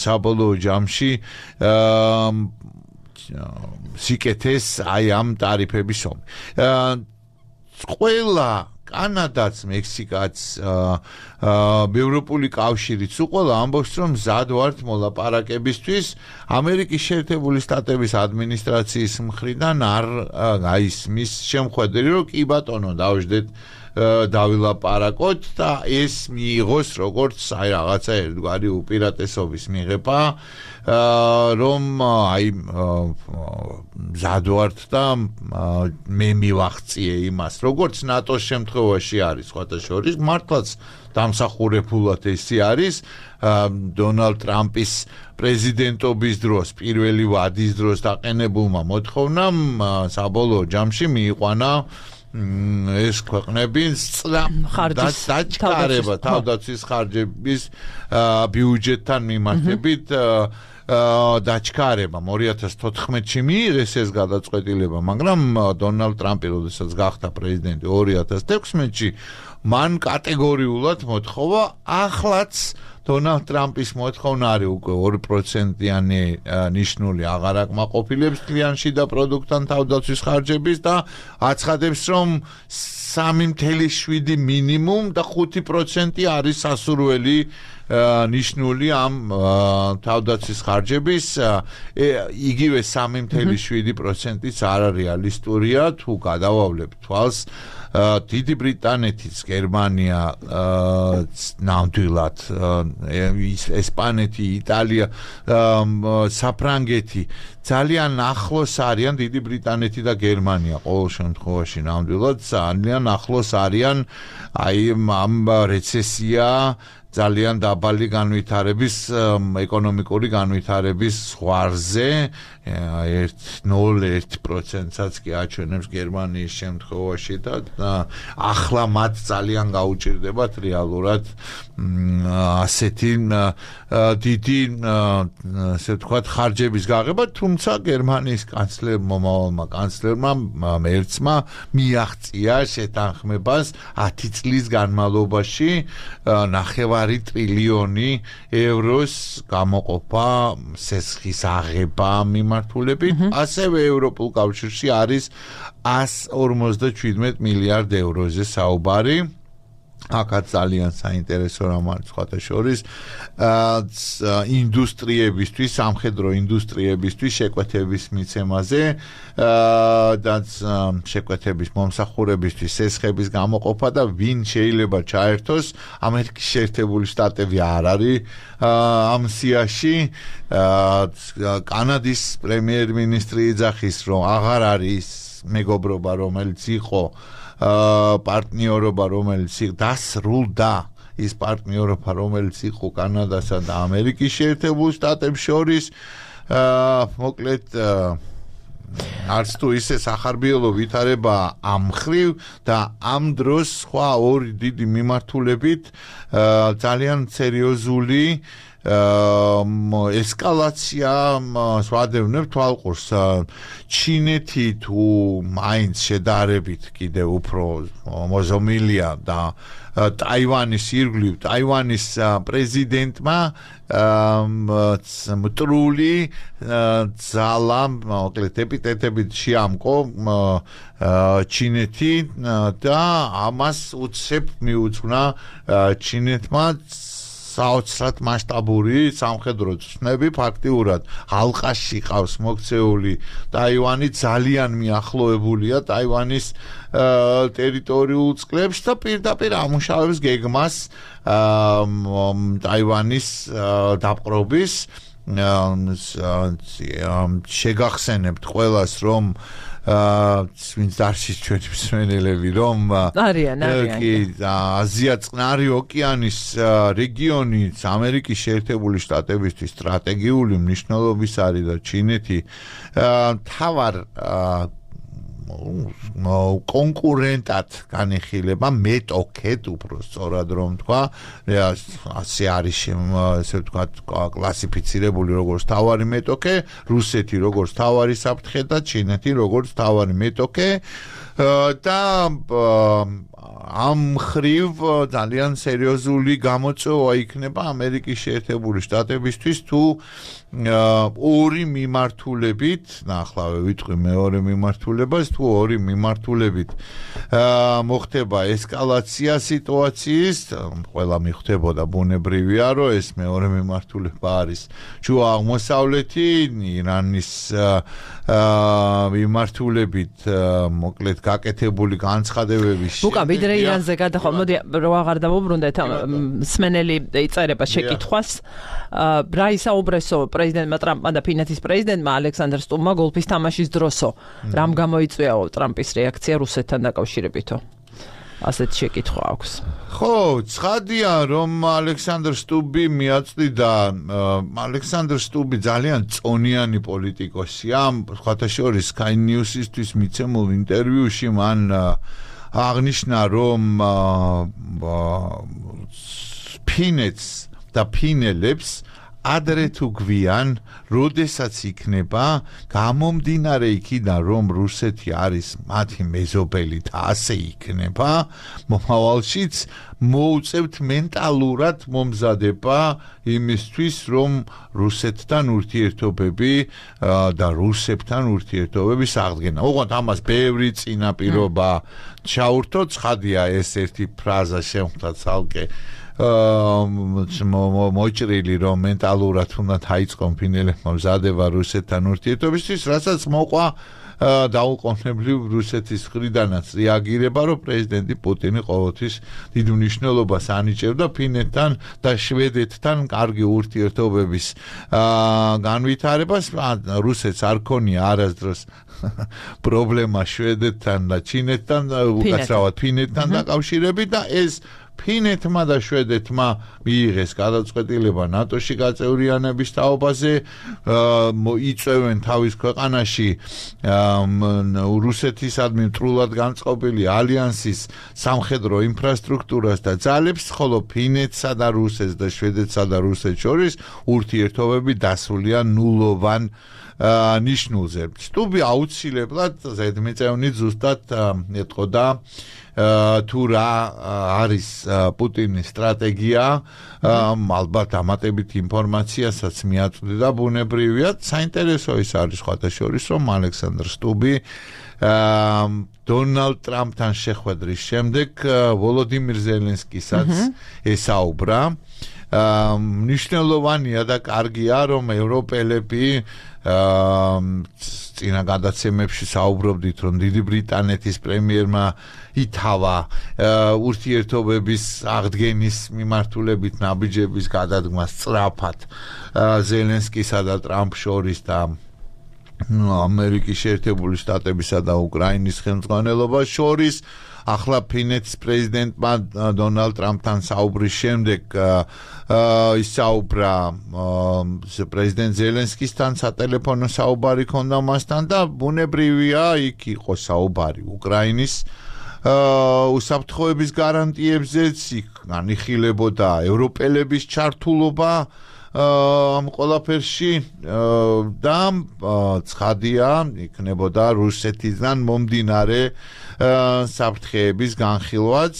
საბოლოო ჯამში სიკეთეს აი ამ ტარიფების ომი. ყველა კანადაც, მექსიკაც, ევროპული კავშირიც უყოლა ამბობს, რომ მზად ვართ მოლაპარაკებისთვის ამერიკის შეერთებული შტატების ადმინისტრაციის მხრიდან არ გაისმის შემხვედრი, რომ კი ბატონო, დავждეთ დავილაპარაკოთ და ეს მიიღოს როგორც აი რაღაცა ერთგვარი უპირატესობის მიღება, რომ აი მზად ვართ და მე მივახციე იმას, როგორც ნატოს შემთხვევაში არის, სხვათა შორის მართლაც დამსახურებულად ესე არის დონალდ ტრამპის პრეზიდენტობის დროს, პირველი ვადის დროს დაყენებულმა მოთხოვნამ საბოლოო ჯამში მიიყვანა ეს ქვეყნები დაჩქარება თავდაცვის ხარჯების ბიუჯეტთან მიმართებით დაჩქარება ორი ათას თოთხმეტში მიიღეს ეს გადაწყვეტილება, მაგრამ დონალდ ტრამპი როდესაც გახდა პრეზიდენტი ორი ათას თექვსმეტში მან კატეგორიულად მოთხოვა ახლაც დონალდ ტრამპის მოთხოვნა არის უკვე ორი პროცენტიანი ნიშნული აღარ აკმაყოფილებს თლიან შიდა პროდუქტთან თავდაცვის ხარჯების და აცხადებს რომ სამი ათეული შვიდი მინიმუმ და ხუთი პროცენტი არის სასურველი ნიშნული ამ თავდაცვის ხარჯების იგივე სამი ათეული შვიდი პროცენტიც არარეალისტურია თუ გადავავლებთ თვალს დიდი ბრიტანეთის გერმანია ნამდვილად ესპანეთი იტალია საფრანგეთი ძალიან ახლოს არიან დიდი ბრიტანეთი და გერმანია ყოველ შემთხვევაში ნამდვილად ძალიან ახლოს არიან აი ამ რეცესია ძალიან დაბალი განვითარების ეკონომიკური განვითარების ზღვარზე ერთ ნულ ერთ პროცენტსაც კი აჩვენებს გერმანიის შემთხვევაში და ახლა მათ ძალიან გაუჭირდებათ რეალურად ასეთი დიდი ასე ვთქვათ ხარჯების გაღება, თუმცა გერმანიის კანცლერ მომავალმა კანცლერმა მერცმა მიაღწია შეთანხმებას ათი წლის განმავლობაში ნახევარი ტრილიონი ევროს გამოყოფა სესხის აღება მიმართულებით, ასევე ევროპულ კავშირში არის ას ორმოცდაჩვიდმეტ მილიარდ ევროზე საუბარი. აქაც ძალიან საინტერესო რამ არის სხვათა შორის ინდუსტრიებისთვის, სამხედრო ინდუსტრიებისთვის შეკვეთების მიცემაზე და შეკვეთების მომსახურებისთვის სესხების გამოყოფა და ვინ შეიძლება ჩაერთოს. ამერიკის შეერთებული შტატები არ არის ამ სიაში. კანადის პრემიერ-მინისტრი იძახის, რომ აღარ არის მეგობრობა, რომელიც იყო პარტნიორობა, რომელიც დასრულდა ის პარტნიორობა, რომელიც იყო კანადასა და ამერიკის შეერთებულ შტატებს შორის. მოკლედ არც თუ ისე სახარბიელო ვითარება ამ ხრივ და ამ დროს სხვა ორი დიდი მიმართულებით ძალიან სერიოზული ესკალაცია სვადევნებ თვალყურს. ჩინეთი თუ მაინც შედარებით კიდევ უფრო მოზომილია და ტაივანის ირგვლივ ტაივანის პრეზიდენტმა მტრული ძალა მოკლედ ეპიტეტებით შეამკო ჩინეთი და ამას უცებ მიუძღვნა ჩინეთმა საოცრად მასშტაბური სამხედრო ცნები. ფაქტიურად ალყაში ყავს მოქცეული ტაივანი, ძალიან მიახლოებულია ტაივანის ტერიტორიულ წყლებს და პირდაპირ ამუშავებს გეგმას ტაივანის დაპყრობის. შეგახსენებთ ყველას, რომ ვინც დარჩის ჩვენი მსმენელები, რომ არიან არიან აზია წყნარი ოკეანის რეგიონი ამერიკის შეერთებული შტატებისთვის სტრატეგიული მნიშვნელობის არის და ჩინეთი თავარ კონკურენტად განიხილება, მეტოქეთ უფრო სწორად რომ თქვა, ასე არის ესე ვთქვათ კლასიფიცირებული როგორც თავარი მეტოქე, რუსეთი როგორც თავარი საფრთხე და ჩინეთი როგორც თავარი მეტოქე და ამ ხრივ ძალიან სერიოზული გამოწვევა იქნება ამერიკის შეერთებული შტატებისთვის თუ ორი მიმართულებით, ნახლავე ვიტყვი მეორე მიმართულებას, თუ ორი მიმართულებით მოხდება ესკალაცია სიტუაციის, ყველა მიხვდებოდა ბუნებრივია, რომ ეს მეორე მიმართულება არის შუა აღმოსავლეთი, ირანის მიმართულებით მოკლედ გაკეთებული განცხადებების უკან ვიდრე ირანზე გადახვა, მოდი რო აღარ დავუბრუნდეთ მსმენელი იწერება შეკითხვას. რა ისაუბრესო პრეზიდენტმა ტრამპმა და ფინეთის პრეზიდენტმა ალექსანდრ სტუმმა გოლფის თამაშის დროსო. რამ გამოიწვიაო ტრამპის რეაქცია რუსეთთან დაკავშირებითო? ასეთ შეკითხვა აქვს. ხო, ცხადია, რომ ალექსანდრ სტუბი მიაწვდიდა, ალექსანდრ სტუბი ძალიან წონიანი პოლიტიკოსია, სხვათა შორის Sky News-ისთვის მიცემულ ინტერვიუში მან აღნიშნა, რომ ფინეთს და ფინელებს ადრე თუ გვიან, როდესაც იქნება გამომდინარე იქიდან, რომ რუსეთი არის მათი მეზობელი და ასე იქნება, მომავალშიც მოუწევთ მენტალურად მომზადება იმისთვის, რომ რუსეთთან ურთიერთობები და რუსებთან ურთიერთობების აღდგენა. ოღონდ ამას ბევრი წინაპირობა ჩაურთო, ცხადია ეს ერთი ფრაზა შემხვდა ცალკე მოჭრილი, რომ მენტალურად უნდა დაიწყონ ფინელებმა მზადება რუსეთთან ურთიერთობისთვის, რასაც მოყვა დაუყოვნებლივ რუსეთის მხრიდანაც რეაგირება, რომ პრეზიდენტი პუტინი ყოველთვის დიდ მნიშვნელობას ანიჭებდა ფინეთთან და შვედეთთან კარგი ურთიერთობების განვითარებას. რუსეთს არ ქონია არასდროს პრობლემა შვედეთთან და ჩინეთთან, უკაცრავად ფინეთთან დაკავშირებით და ეს ფინეთმა და შვედეთმა მიიღეს გადაწყვეტილება ნატოში გაწევრიანების თაობაზე, იწევენ თავის ქვეყანაში რუსეთისადმი მტრულად განწყობილი ალიანსის სამხედრო ინფრასტრუქტურას და ძალებს, ხოლო ფინეთსა და რუსეთს და შვედეთსა და რუსეთს შორის ურთიერთობები დასულია ნულოვან ნიშნულზე. სტუბი აუცილებლად ზედმიწევნით ზუსტად ეტყოდა თუ რა არის პუტინის სტრატეგია, ალბათ ამატებით ინფორმაციასაც მიაწვდიდა ბუნებრივია. საინტერესო ის არის სხვათა შორის, რომ ალექსანდრ სტუბი დონალდ ტრამპთან შეხვედრის შემდეგ ვოლოდიმირ ზელენსკისაც ესაუბრა. მნიშვნელოვანია და კარგია, რომ ევროპელები წინა გადაცემებში საუბრობდით, რომ დიდი ბრიტანეთის პრემიერმა ითავა ურთიერთობების აღდგენის მიმართულებით ნაბიჯების გადადგმა სწრაფად ზელენსკისა და ტრამპ შორის და ამერიკის შეერთებული შტატებისა და უკრაინის ხელმძღვანელობას შორის. ახლა ფინეთის პრეზიდენტმა დონალდ ტრამპთან საუბრის შემდეგ ისაუბრა პრეზიდენტ ზელენსკისთან, სატელეფონო საუბარი ჰქონდა მასთან და ბუნებრივია იქ იყო საუბარი უკრაინის უსაფრთხოების გარანტიებზეც, იქ განიხილებოდა ევროპელების ჩართულობა ამ ყველაფერში და ცხადია იქნებოდა რუსეთიდან მომდინარე საფრთხეების განხილვაც.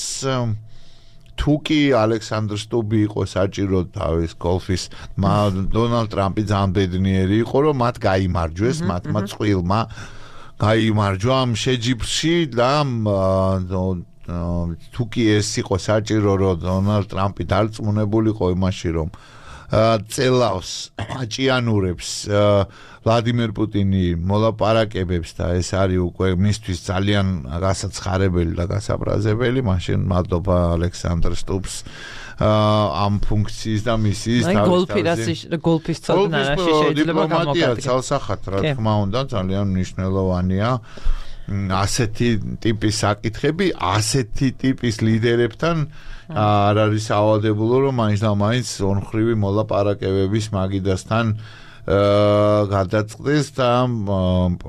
თუ კი ალექსანდრ სტუბი იყო საჭირო თავის გოლფის, დონალდ ტრამპი ძალიან ბედნიერი იყო, რომ მათ გაიმარჯვეს, მათმა წყვილმა გაიმარჯვა ამ შეჯიბრში და თუ კი ეს იყო საჭირო, რომ დონალდ ტრამპი დარწმუნებულიყო იმაში, რომ წელავს აჭიანურებს ვლადიმერ პუტინი მოლაპარაკებებს და ეს არის უკვე მისთვის ძალიან გასაცხარებელი და გასაბრაზებელი, მაშინ მადლობა ალექსანდრ სტუბს ამ ფუნქციის და მისიის გოლფის ცოდნაში შეიძლება გამოგადგეს. ცალსახად, რა თქმა უნდა, ძალიან მნიშვნელოვანია ასეთი ტიპის საკითხები, ასეთი ტიპის ლიდერებთან არ არის სავალდებულო, რომ მაინც და მაინც ორმხრივი მოლაპარაკებების მაგიდასთან გადაწყდეს და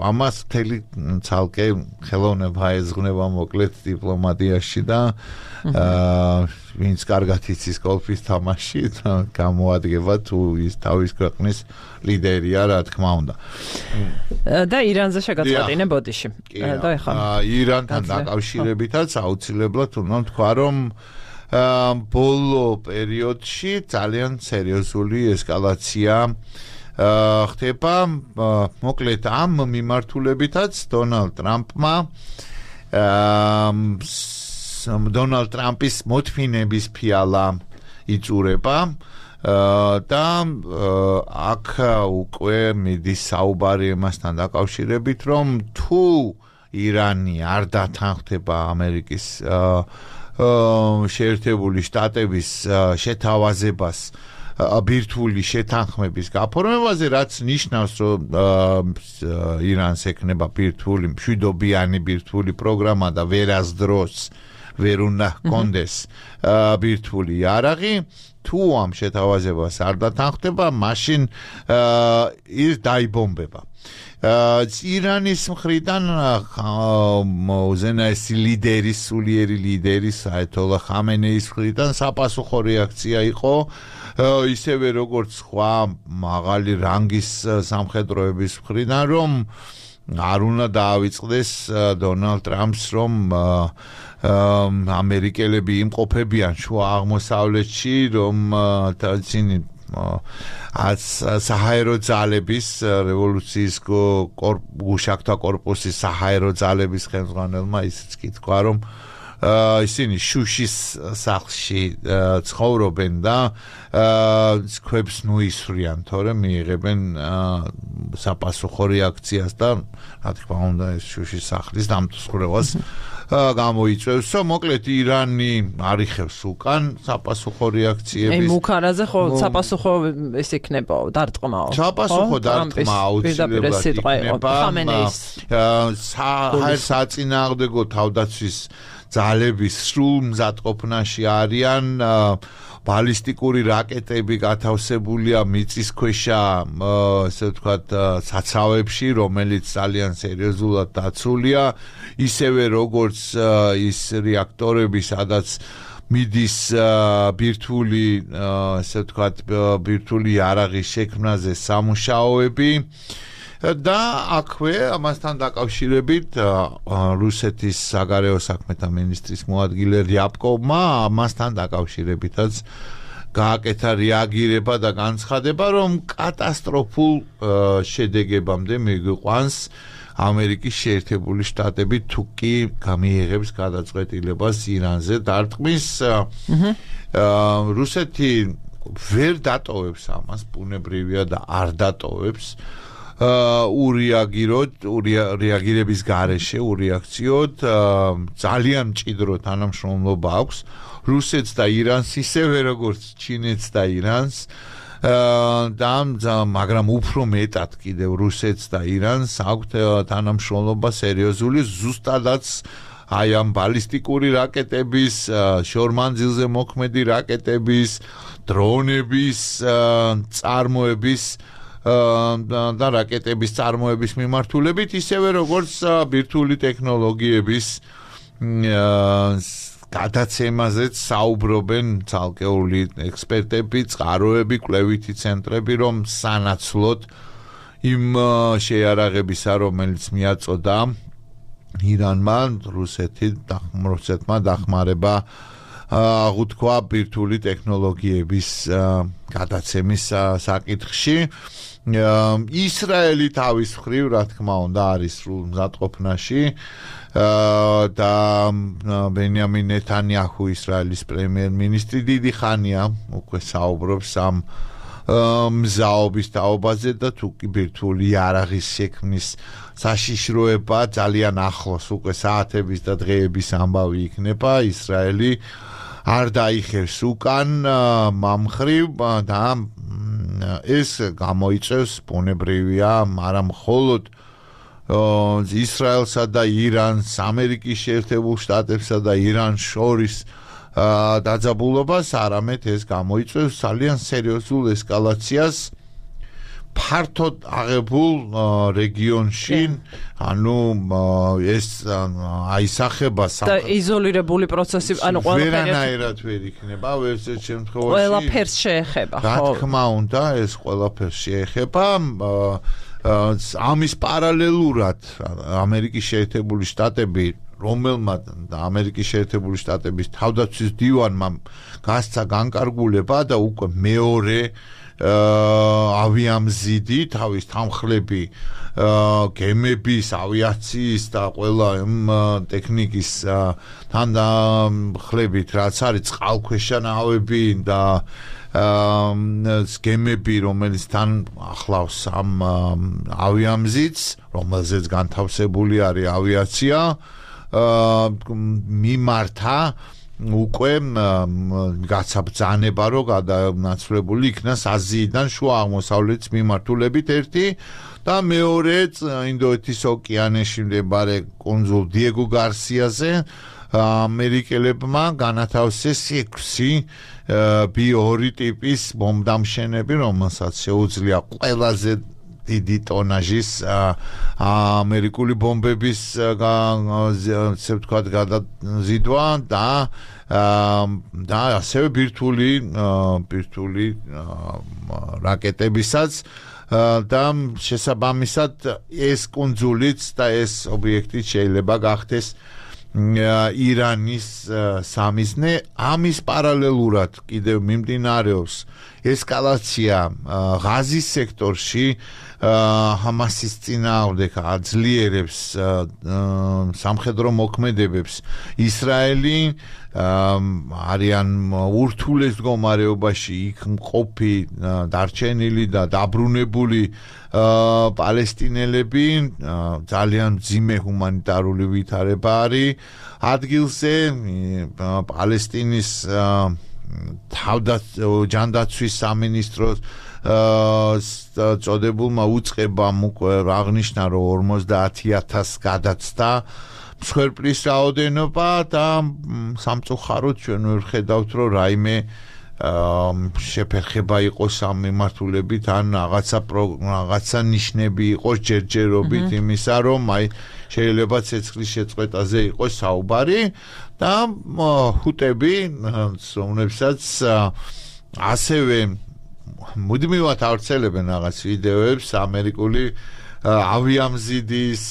ამას მთელი ცალკე ხელოვნება ეძღვნება მოკლედ დიპლომატიაში და ვინც კარგად იცის გოლფის თამაში გამოადგება თუ ის თავის ქვეყნის ლიდერია, რა თქმა უნდა. და ირანზე შეგაწყვეტინე ბოდიში. და ეხლა ირანთან დაკავშირებითაც აუცილებლად უნდა თქვა, რომ ბოლო პერიოდში ძალიან სერიოზული ესკალაცია ხდება, მოკლედ ამ მიმართულებითაც დონალდ ტრამპმა დონალდ ტრამპის მოთმინების ფიალა იწურება და აქ უკვე მიდის საუბარი იმასთან დაკავშირებით, რომ თუ ირანი არ დათანხმდება ამერიკის შეერთებული შტატების შეთავაზებას ბირთვული შეთანხმების გაფორმებაზე, რაც ნიშნავს, რომ ირანს ექნება ბირთვული მშვიდობიანი ბირთვული პროგრამა და ვერასდროს ვერ უნდა ჰქონდეს ბირთვული იარაღი თუ ამ შეთავაზებას არ დათანხმდება მაშინ ის დაიბომბება ირანის მხრიდან უზენაესი ლიდერის სულიერი ლიდერის აიათოლა ხამენეის მხრიდან საპასუხო რეაქცია იყო ისევე როგორც სხვა მაღალი რანგის სამხედროების მხრიდან რომ არ უნდა დაავიწყდეს დონალდ ტრამპს რომ ამერიკელები იმყოფებიან შუა აღმოსავლეთში რომ თაცინი საჰაერო ძალების რევოლუციის გუშაქთა კორპუსის საჰაერო ძალების ხელმძღვანელმა ისიც კი თქვა რომ ისინი შუშის სახლში ცხოვრობენ და ქვებს ნუისვრიან თორემ მიიღებენ საპასუხო რეაქციას და რა თქმა უნდა ეს შუშის სახლის დამსხვრევას გამოიწვევს მოკლედ ირანი არიხევს უკან საპასუხო რეაქციების აი მუქარაზე ხო საპასუხო ეს იქნება დარტყმაო საპასუხო დარტყმა აუცილებლად იქნება საწინააღმდეგო თავდაცვის ძალების სრულ მზადყოფნაში არიან ბალისტიკური რაკეტები გათავსებულია მიწისქვეშა ესე ვთქვათ საცავებში რომელიც ძალიან სერიოზულად დაცულია ისევე როგორც ის რეაქტორები სადაც მიდის ბირთვული ესე ვთქვათ ბირთვული იარაღის შექმნაზე სამუშაოები და აქვე ამასთან დაკავშირებით რუსეთის საგარეო საქმეთა მინისტრის მოადგილე რიაბკოვმა ამასთან დაკავშირებითაც გააკეთა რეაგირება და განცხადება რომ კატასტროფულ შედეგებამდე მიგვიყვანს ამერიკის შეერთებული შტატები თუ კი გამიიღებს გადაწყვეტილებას ირანზე დარტყმის რუსეთი ვერ დატოვებს ამას ბუნებრივია და არ დატოვებს ურეაგიროთ რეაგირების გარეშე ურეაქციოდ ძალიან მჭიდრო თანამშრომლობა აქვს რუსეთს და ირანს ისევე როგორც ჩინეთს და ირანს და მაგრამ უფრო მეტად კიდევ რუსეთს და ირანს აქვთ თანამშრომლობა სერიოზული ზუსტადაც აი ამ ბალისტიკური რაკეტების შორმანძილზე მოქმედი რაკეტების დრონების წარმოების და რაკეტების წარმოების მიმართულებით ისევე როგორც ბირთვული ტექნოლოგიების გადაცემაზეც საუბრობენ ცალკეული ექსპერტები, წყაროები, კვლევითი ცენტრები, რომ სანაცვლოდ იმ შეიარაღებისა, რომელიც მიაწოდა ირანმა, რუსეთმა დახმარება აღუთქვა ბირთვული ტექნოლოგიების გადაცემის საკითხში. ისრაელი თავის მხრივ, რა თქმა უნდა, არის სრულ მზადყოფნაში და ბენიამინ ნეთანიაჰუ ისრაელის პრემიერ-მინისტრი დიდი ხანია უკვე საუბრობს ამ მზაობის თაობაზე და თუ კი ბირთვული იარაღის შექმნის საშიშროება ძალიან ახლოს უკვე საათების და დღეების ამბავი იქნება ისრაელი არ დაიხევს უკან მამხრივ და ეს გამოიწევს ბუნებრივია არა მხოლოდ ისრაელსა და ირანს ამერიკის შეერთებულ შტატებსა და ირანს შორის დაძაბულობას არამედ ეს გამოიწევს ძალიან სერიოზულ ესკალაციას ფართოდ აღებულ რეგიონში ანუ ეს აისახება და იზოლირებული პროცესი ანუ ყველაფერი ვერანაირად ვერ იქნება ვერცერთ შემთხვევაში ყველაფერს შეეხება ხო რა თქმა უნდა ეს ყველაფერს შეეხება ამის პარალელურად ამერიკის შეერთებული შტატები რომელმაც და ამერიკის შეერთებული შტატების თავდაცვის დივანმა გასცა განკარგულება და უკვე მეორე ავიამზიდი თავის თანხლები გემების ავიაციის და ყველა ტექნიკის თანხლებით რაც არის წყალქვეშა ნავები და გემები რომელიც თან ახლავს ამ ავიამზიდს რომელზეც განთავსებული არის ავიაცია მიმართა უკვე გაცაბრძანება რომ გადანაცვლებული იქნას აზიიდან შუა აღმოსავლეთის მიმართულებით ერთი და მეორე ინდოეთის ოკეანეში მდებარე კუნძულ დიეგო გარსიაზე ამერიკელებმა განათავსეს ექვსი ბი-ორი ტიპის ბომბდამშენები, რომელსაც შეუძლია ყველაზე დიდი ტონაჟის ამერიკული ბომბების ასე ვთქვათ გადაზიდვა და და ასევე ბირთვული ბირთვული რაკეტებისაც და შესაბამისად ეს კუნძულიც და ეს ობიექტი შეიძლება გახდეს ირანის სამიზნე. ამის პარალელურად კიდევ მიმდინარეობს ესკალაცია ღაზის სექტორში. ჰამასის წინააღმდეგ აძლიერებს სამხედრო მოქმედებებს ისრაელი, არიან ურთულეს მდგომარეობაში იქ მყოფი დარჩენილი და დაბრუნებული პალესტინელები, ძალიან მძიმე ჰუმანიტარული ვითარება არის ადგილზე. პალესტინის ჯანდაცვის სამინისტროს წოდებულმა უწყებამ უკვე აღნიშნა, რომ ორმოცდაათი ათასი გადაცდა მსხვერპლის რაოდენობა და სამწუხაროდ ჩვენ ვერ ხედავთ, რომ რაიმე შეფერხება იყოს ამ მიმართულებით ან რაღაცა რაღაცა ნიშნები იყოს ჯერჯერობით იმისა, რომ აი შეიძლება ცეცხლის შეწყვეტაზე იყოს საუბარი და ჰუტები, რომლებსაც ასევე მუდმივად ავრცელებენ რაღაც ვიდეოებს ამერიკული ავიამზიდის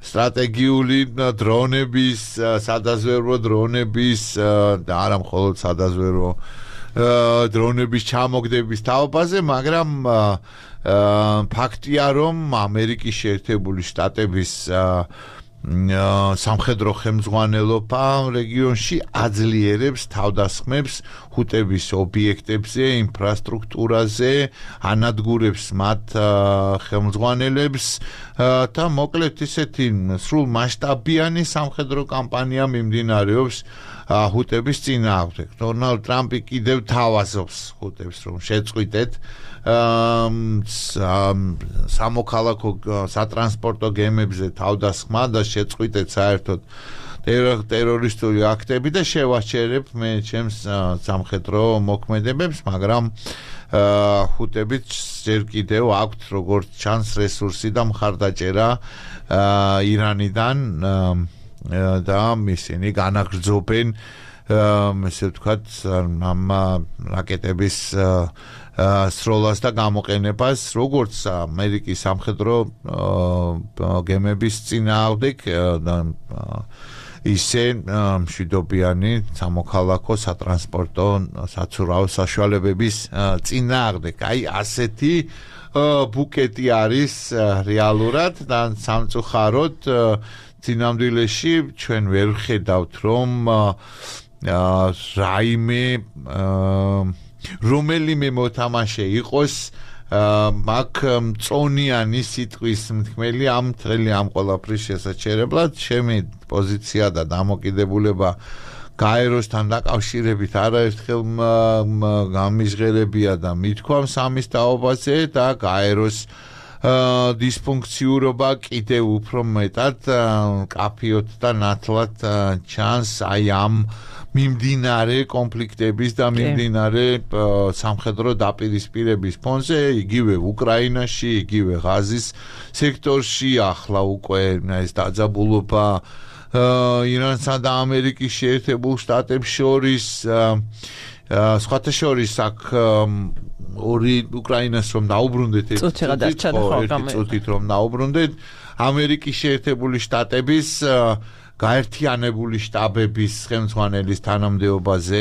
სტრატეგიული დრონების, სადაზვერვო დრონების და არა მხოლოდ სადაზვერვო დრონების ჩამოგდების თაობაზე, მაგრამ ფაქტია, რომ ამერიკის შეერთებული შტატების სამხედრო ხელმძღვანელობა რეგიონში აძლიერებს თავდასხმებს ჰუტების ობიექტებზე, ინფრასტრუქტურაზე, ანადგურებს მათ ხელმძღვანელებს და მოკლედ ისეთი სრულ მასშტაბიანი სამხედრო კამპანია მიმდინარეობს ჰუტების წინააღმდეგ. დონალდ ტრამპი კიდევ თავაზობს ჰუტებს, რომ შეწყვიტეთ სამოქალაქო სატრანსპორტო გემებზე თავდასხმა და შეწყვიტეთ საერთოდ ტერორისტული აქტები და შევაჩერებ მე ჩემს სამხედრო მოქმედებებს, მაგრამ ჰუტებით ჯერ კიდევ აქვთ როგორც ჩანს რესურსი და მხარდაჭერა ირანიდან და ისინი განაგრძობენ ესე ვთქვათ ამ რაკეტების სროლას და გამოყენებას, როგორც ამერიკის სამხედრო გემების წინააღმდეგ ისე მშვიდობიანი სამოქალაქო სატრანსპორტო საცურაო საშუალებების წინააღმდეგ. აი ასეთი ბუკეტი არის რეალურად და სამწუხაროდ წინამძღოლში ჩვენ ვერ ვხედავთ, რომ რაიმე რომელიმე მოთამაშე იყოს მაგ მწონიანი სიტყვის მთქმელი ამ მთელი ამ ყველაფრის შესაჩერებლად. ჩემი პოზიცია და დამოკიდებულება გაეროსთან დაკავშირებით არაერთხელ გამიზღერებია და მithქვამს ამის თაობაზე და გაეროს დისფუნქციურობა კიდევ უფრო მეტად კაფიოთ და ნათლად ჩანს აი ამ მიმდინარე კონფლიქტების და მიმდინარე სამხედრო დაპირისპირების ფონზე, იგივე უკრაინაში, იგივე ღაზის სექტორში, ახლა უკვე ეს დაძაბულობა ირანსა და ამერიკის შეერთებულ შტატებს შორის, სხვათა შორის აქ ორი უკრაინას რომ დაუბრუნდეთ ერთი წუთით რომ დაუბრუნდეთ, ამერიკის შეერთებული შტატების გაერთიანებული შტაბების ხელმძღვანელის თანამდებობაზე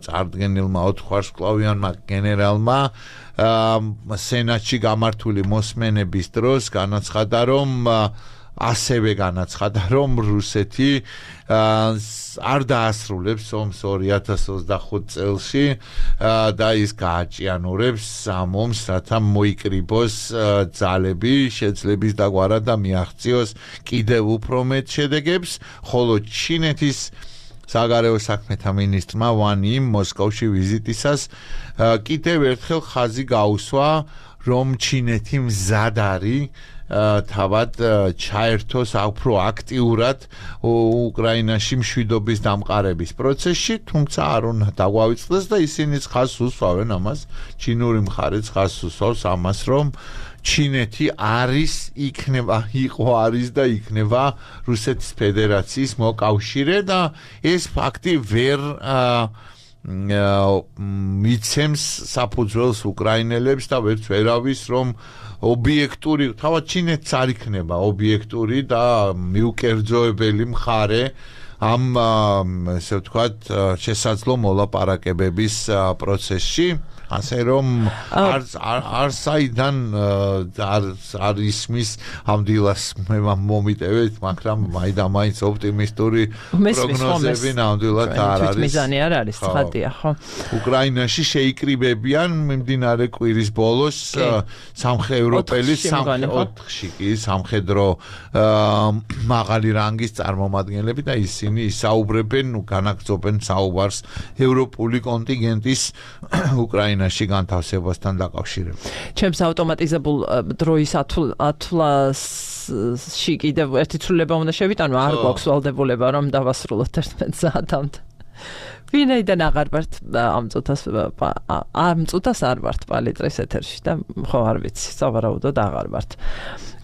წარდგენილმა ოთხვარსკვლავიანმა გენერალმა სენატში გამართული მოსმენების დროს განაცხადა, რომ ასევე განაცხადა, რომ რუსეთი არ დაასრულებს ომს ორი ათას ოცდახუთ წელში და ის გააჭიანურებს ამ ომს, რათა მოიკრიბოს ძალები, შეძლების დაგვარა და მიაღწიოს კიდევ უფრო მეტ შედეგებს, ხოლო ჩინეთის საგარეო საქმეთა მინისტრმა ვან იმ მოსკოვში ვიზიტისას კიდევ ერთხელ ხაზი გაუსვა, რომ ჩინეთი მზად არის თავად ჩაერთოს უფრო აქტიურად უკრაინაში მშვიდობის დამყარების პროცესში, თუმცა არ უნდა დაგვავიწყდეს და ისინიც ხაზს უსვავენ ამას, ჩინური მხარეც ხაზს უსვავს ამას, რომ ჩინეთი არის, იქნება, იყო არის და იქნება რუსეთის ფედერაციის მოკავშირე და ეს ფაქტი ვერ მიცემს საფუძველს უკრაინელებს და ვერც ვერავის რომ ობიექტური, თავად ჩინეთს არ იქნება ობიექტური და მიუკერძოებელი მხარე ამ ესე ვთქვათ შესაძლო მოლაპარაკებების პროცესში, ასე რომ არ არ საიდან არ ისმის ამ დილას მე მომიტევეთ, მაგრამ მაინც ოპტიმისტური პროგნოზები ნამდვილად არ არის. მიზანი არ არის, ცხადია, ხო? უკრაინაში შეიკრიბებიან მიმდინარე კვირის ბოლოს სამხედროელი ოთხში კი სამხედრო მაღალი რანგის წარმომადგენლები და ისინი ისაუბრებენ, განაგრძობენ საუბარს ევროპული კონტინგენტის უკრაინაში განთავსებასთან დაკავშირებით. ჩემს ავტომატიზებულ დროის ათვლაში კიდევ ერთი ცვლილება უნდა შევიტანო, არ გვაქვს ვალდებულება რომ დავასრულოთ ერთმეტ საათამდე. ვინაიდან აღარ ვართ ამ წუთას ამ წუთას არ ვართ პალიტრის ეთერში და ხო არ ვიცი, სავარაუდოდ აღარ ვართ.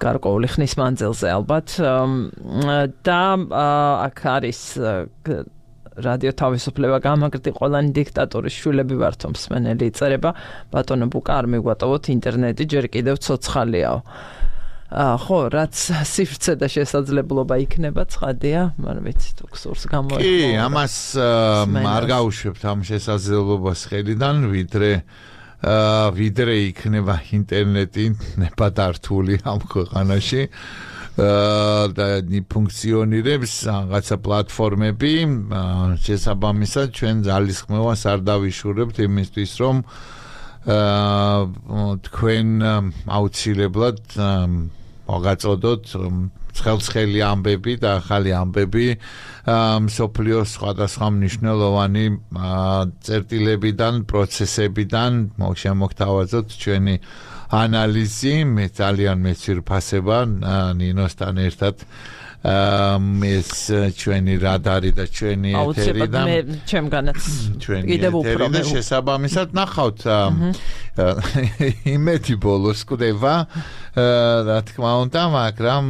გარკვეული ხნის მანძილზე ალბათ და აქ არის რადიო თავისუფლება გამაგრდი ყველანი დიქტატორის შვილები ვართო მსმენელი იწერება ბატონო ბუკა არ მიგვატოვოთ ინტერნეტი ჯერ კიდევ ცოცხალიაო. ხო, რაც სივრცე და შესაძლებლობა იქნება, ცხადია, მაგრამ ვიცი თუ გსურს გამოიყო. კი, ამას არ გავუშვებთ ამ შესაძლებლობას ხელიდან, ვიდრე ვიდრე იქნება ინტერნეტი ნებადართული ამ ქვეყანაში. და ფუნქციონირებს რაღაცა პლატფორმები, შესაბამისად ჩვენ ძალისხმევას არ დავიშურებთ იმისთვის, რომ თქვენ აუცილებლად მოგაწოდოთ ცხელცხელი ამბები და ახალი ამბები მსოფლიოს სხვადასხვა მნიშვნელოვანი წერტილებიდან, პროცესებიდან შემოგთავაზოთ ჩვენი ანალიზი, მე ძალიან მეცირფასება ნინოსთან ერთად ეს ჩვენი რადარი და ჩვენი ეთერი და მე ჩემგანაც კიდევ უფრო მე შესაბამისად ნახავთ იმედი ბოლოს კვდება რა თქმა უნდა, მაგრამ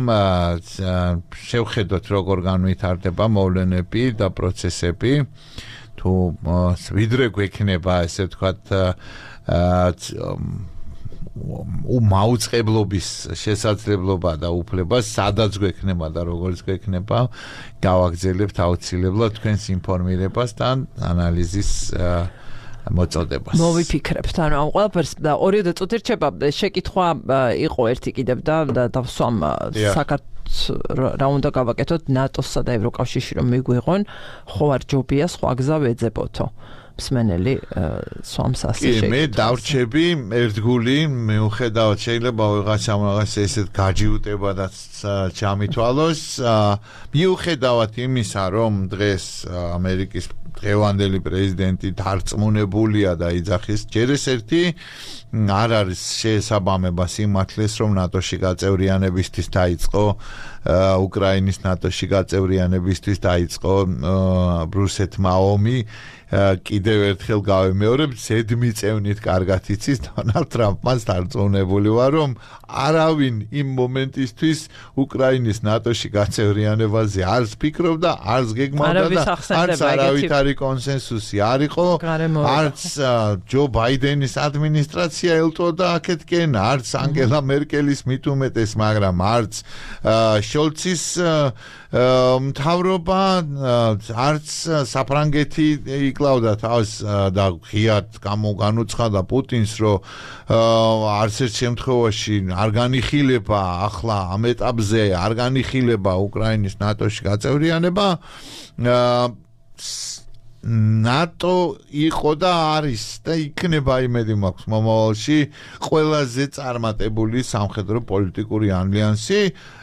შევხედოთ როგორ განვითარდება მოვლენები და პროცესები, თუ ვიდრე გვექნება ესე ვთქვათ მაუწყებლობის შესაძლებლობა და უფლება, სადაც გვექნება და როგორც გვექნება, გავაგრძელებთ აუცილებლად თქვენს ინფორმირებას და ანალიზის მოწოდებას. მოვიფიქრებთ, ანუ ამ ყველაფერს და ორი წუთი რჩება, შეკითხვა იყო ერთი კიდევ და დავსვამ საქართველოს რა უნდა გავაკეთოთ ნატოსსა და ევროკავშირში რომ მიგვიღონ, ხო არ ჯობია სხვა გზა ვეძებოთო. მსმენელი სვამს ასე შეკითხავს. კი, მე დავრჩები ერთგული, მიუხედავად შეიძლება ვიღაცამ რაღაც ესეთ გაჯიუტებადაც ჩამითვალოს, მიუხედავად იმისა, რომ დღეს ამერიკის დღევანდელი პრეზიდენტი დარწმუნებულია და იძახის, ჯერ ეს ერთი არ არის შესაბამება სიმართლეს, რომ ნატოში გაწევრიანებისთვის დაიწყო უკრაინის ნატოში გაწევრიანებისთვის დაიწყო რუსეთმა ომი. კიდევ ერთხელ გავიმეორებ, ზედმიწევნით კარგად იცის დონალდ ტრამპმაც დარწმუნებული ვარ, რომ არავინ იმ მომენტისთვის უკრაინის ნატოში გაწევრიანებაზე არც ფიქრობდა, არც გეგმავდა და არც არავითარი კონსენსუსი არ იყო, არც ჯო ბაიდენის ადმინისტრაცია ელტოდა აქეთკენ, არც ანგელა მერკელის მით უმეტეს, მაგრამ არც შოლცის მთავრობა, არც საფრანგეთი იკლავდა თავს და ღიად გამოგანუცხადა პუტინს, რომ არც ერთ შემთხვევაში არ განიხილება ახლა ამ ეტაპზე არ განიხილება უკრაინის ნატოში გაწევრიანება. ნატო იყო და არის და იქნება იმედი მაქვს მომავალში ყველაზე წარმატებული სამხედრო პოლიტიკური ალიანსი აა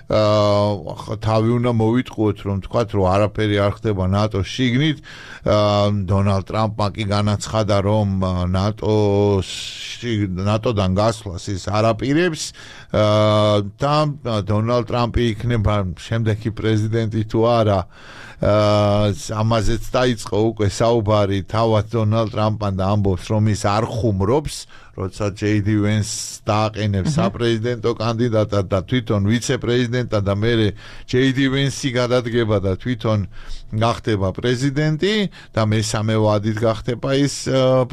თავი უნდა მოვიტყუოთ რომ თქვათ რომ არაფერი არ ხდება ნატოს შიგნით დონალდ ტრამპმა კი განაცხადა რომ ნატოს ნატოდან გასვლას ის არაპირებს და დონალდ ტრამპი იქნება შემდეგი პრეზიდენტი თუ არა ამაზეც დაიწყო უკვე საუბარი თავად დონალდ ტრამპთან და ამბობს რომ ის არ ხუმრობს როცა ჯეი დი ვენსს დააყენებს საპრეზიდენტო კანდიდატად და თვითონ ვიცე-პრეზიდენტად და მერე ჯეი დი ვენსი გადადგება და თვითონ გახდება პრეზიდენტი და მესამე ვადით გახდება ის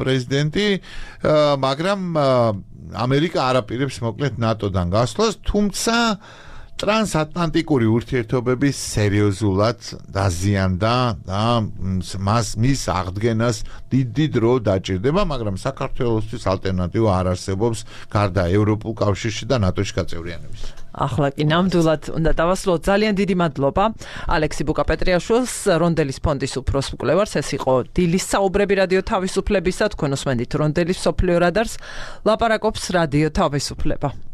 პრეზიდენტი მაგრამ ამერიკა არაპირებს მოკლედ ნატოდან გასვლას თუმცა ტრანსატლანტიკური ურთიერთობების სერიოზულად დაზიანდა და მას მის აღდგენას დიდი დრო დაჭირდება, მაგრამ საქართველოსთვის ალტერნატივა არ არსებობს გარდა ევროპულ კავშირში და ნატოში გაწევრიანების. ახლა კი ნამდვილად უნდა დავასრულოთ. ძალიან დიდი მადლობა ალექსი ბუკაპეტრიაშვილს, რონდელის ფონდის უფროს მკვლევარს. ეს იყო დილის საუბრები რადიო თავისუფლებისა. თქვენ უსმენთ რონდელის სოფლიო რადარს. ლაპარაკობს რადიო თავისუფლება.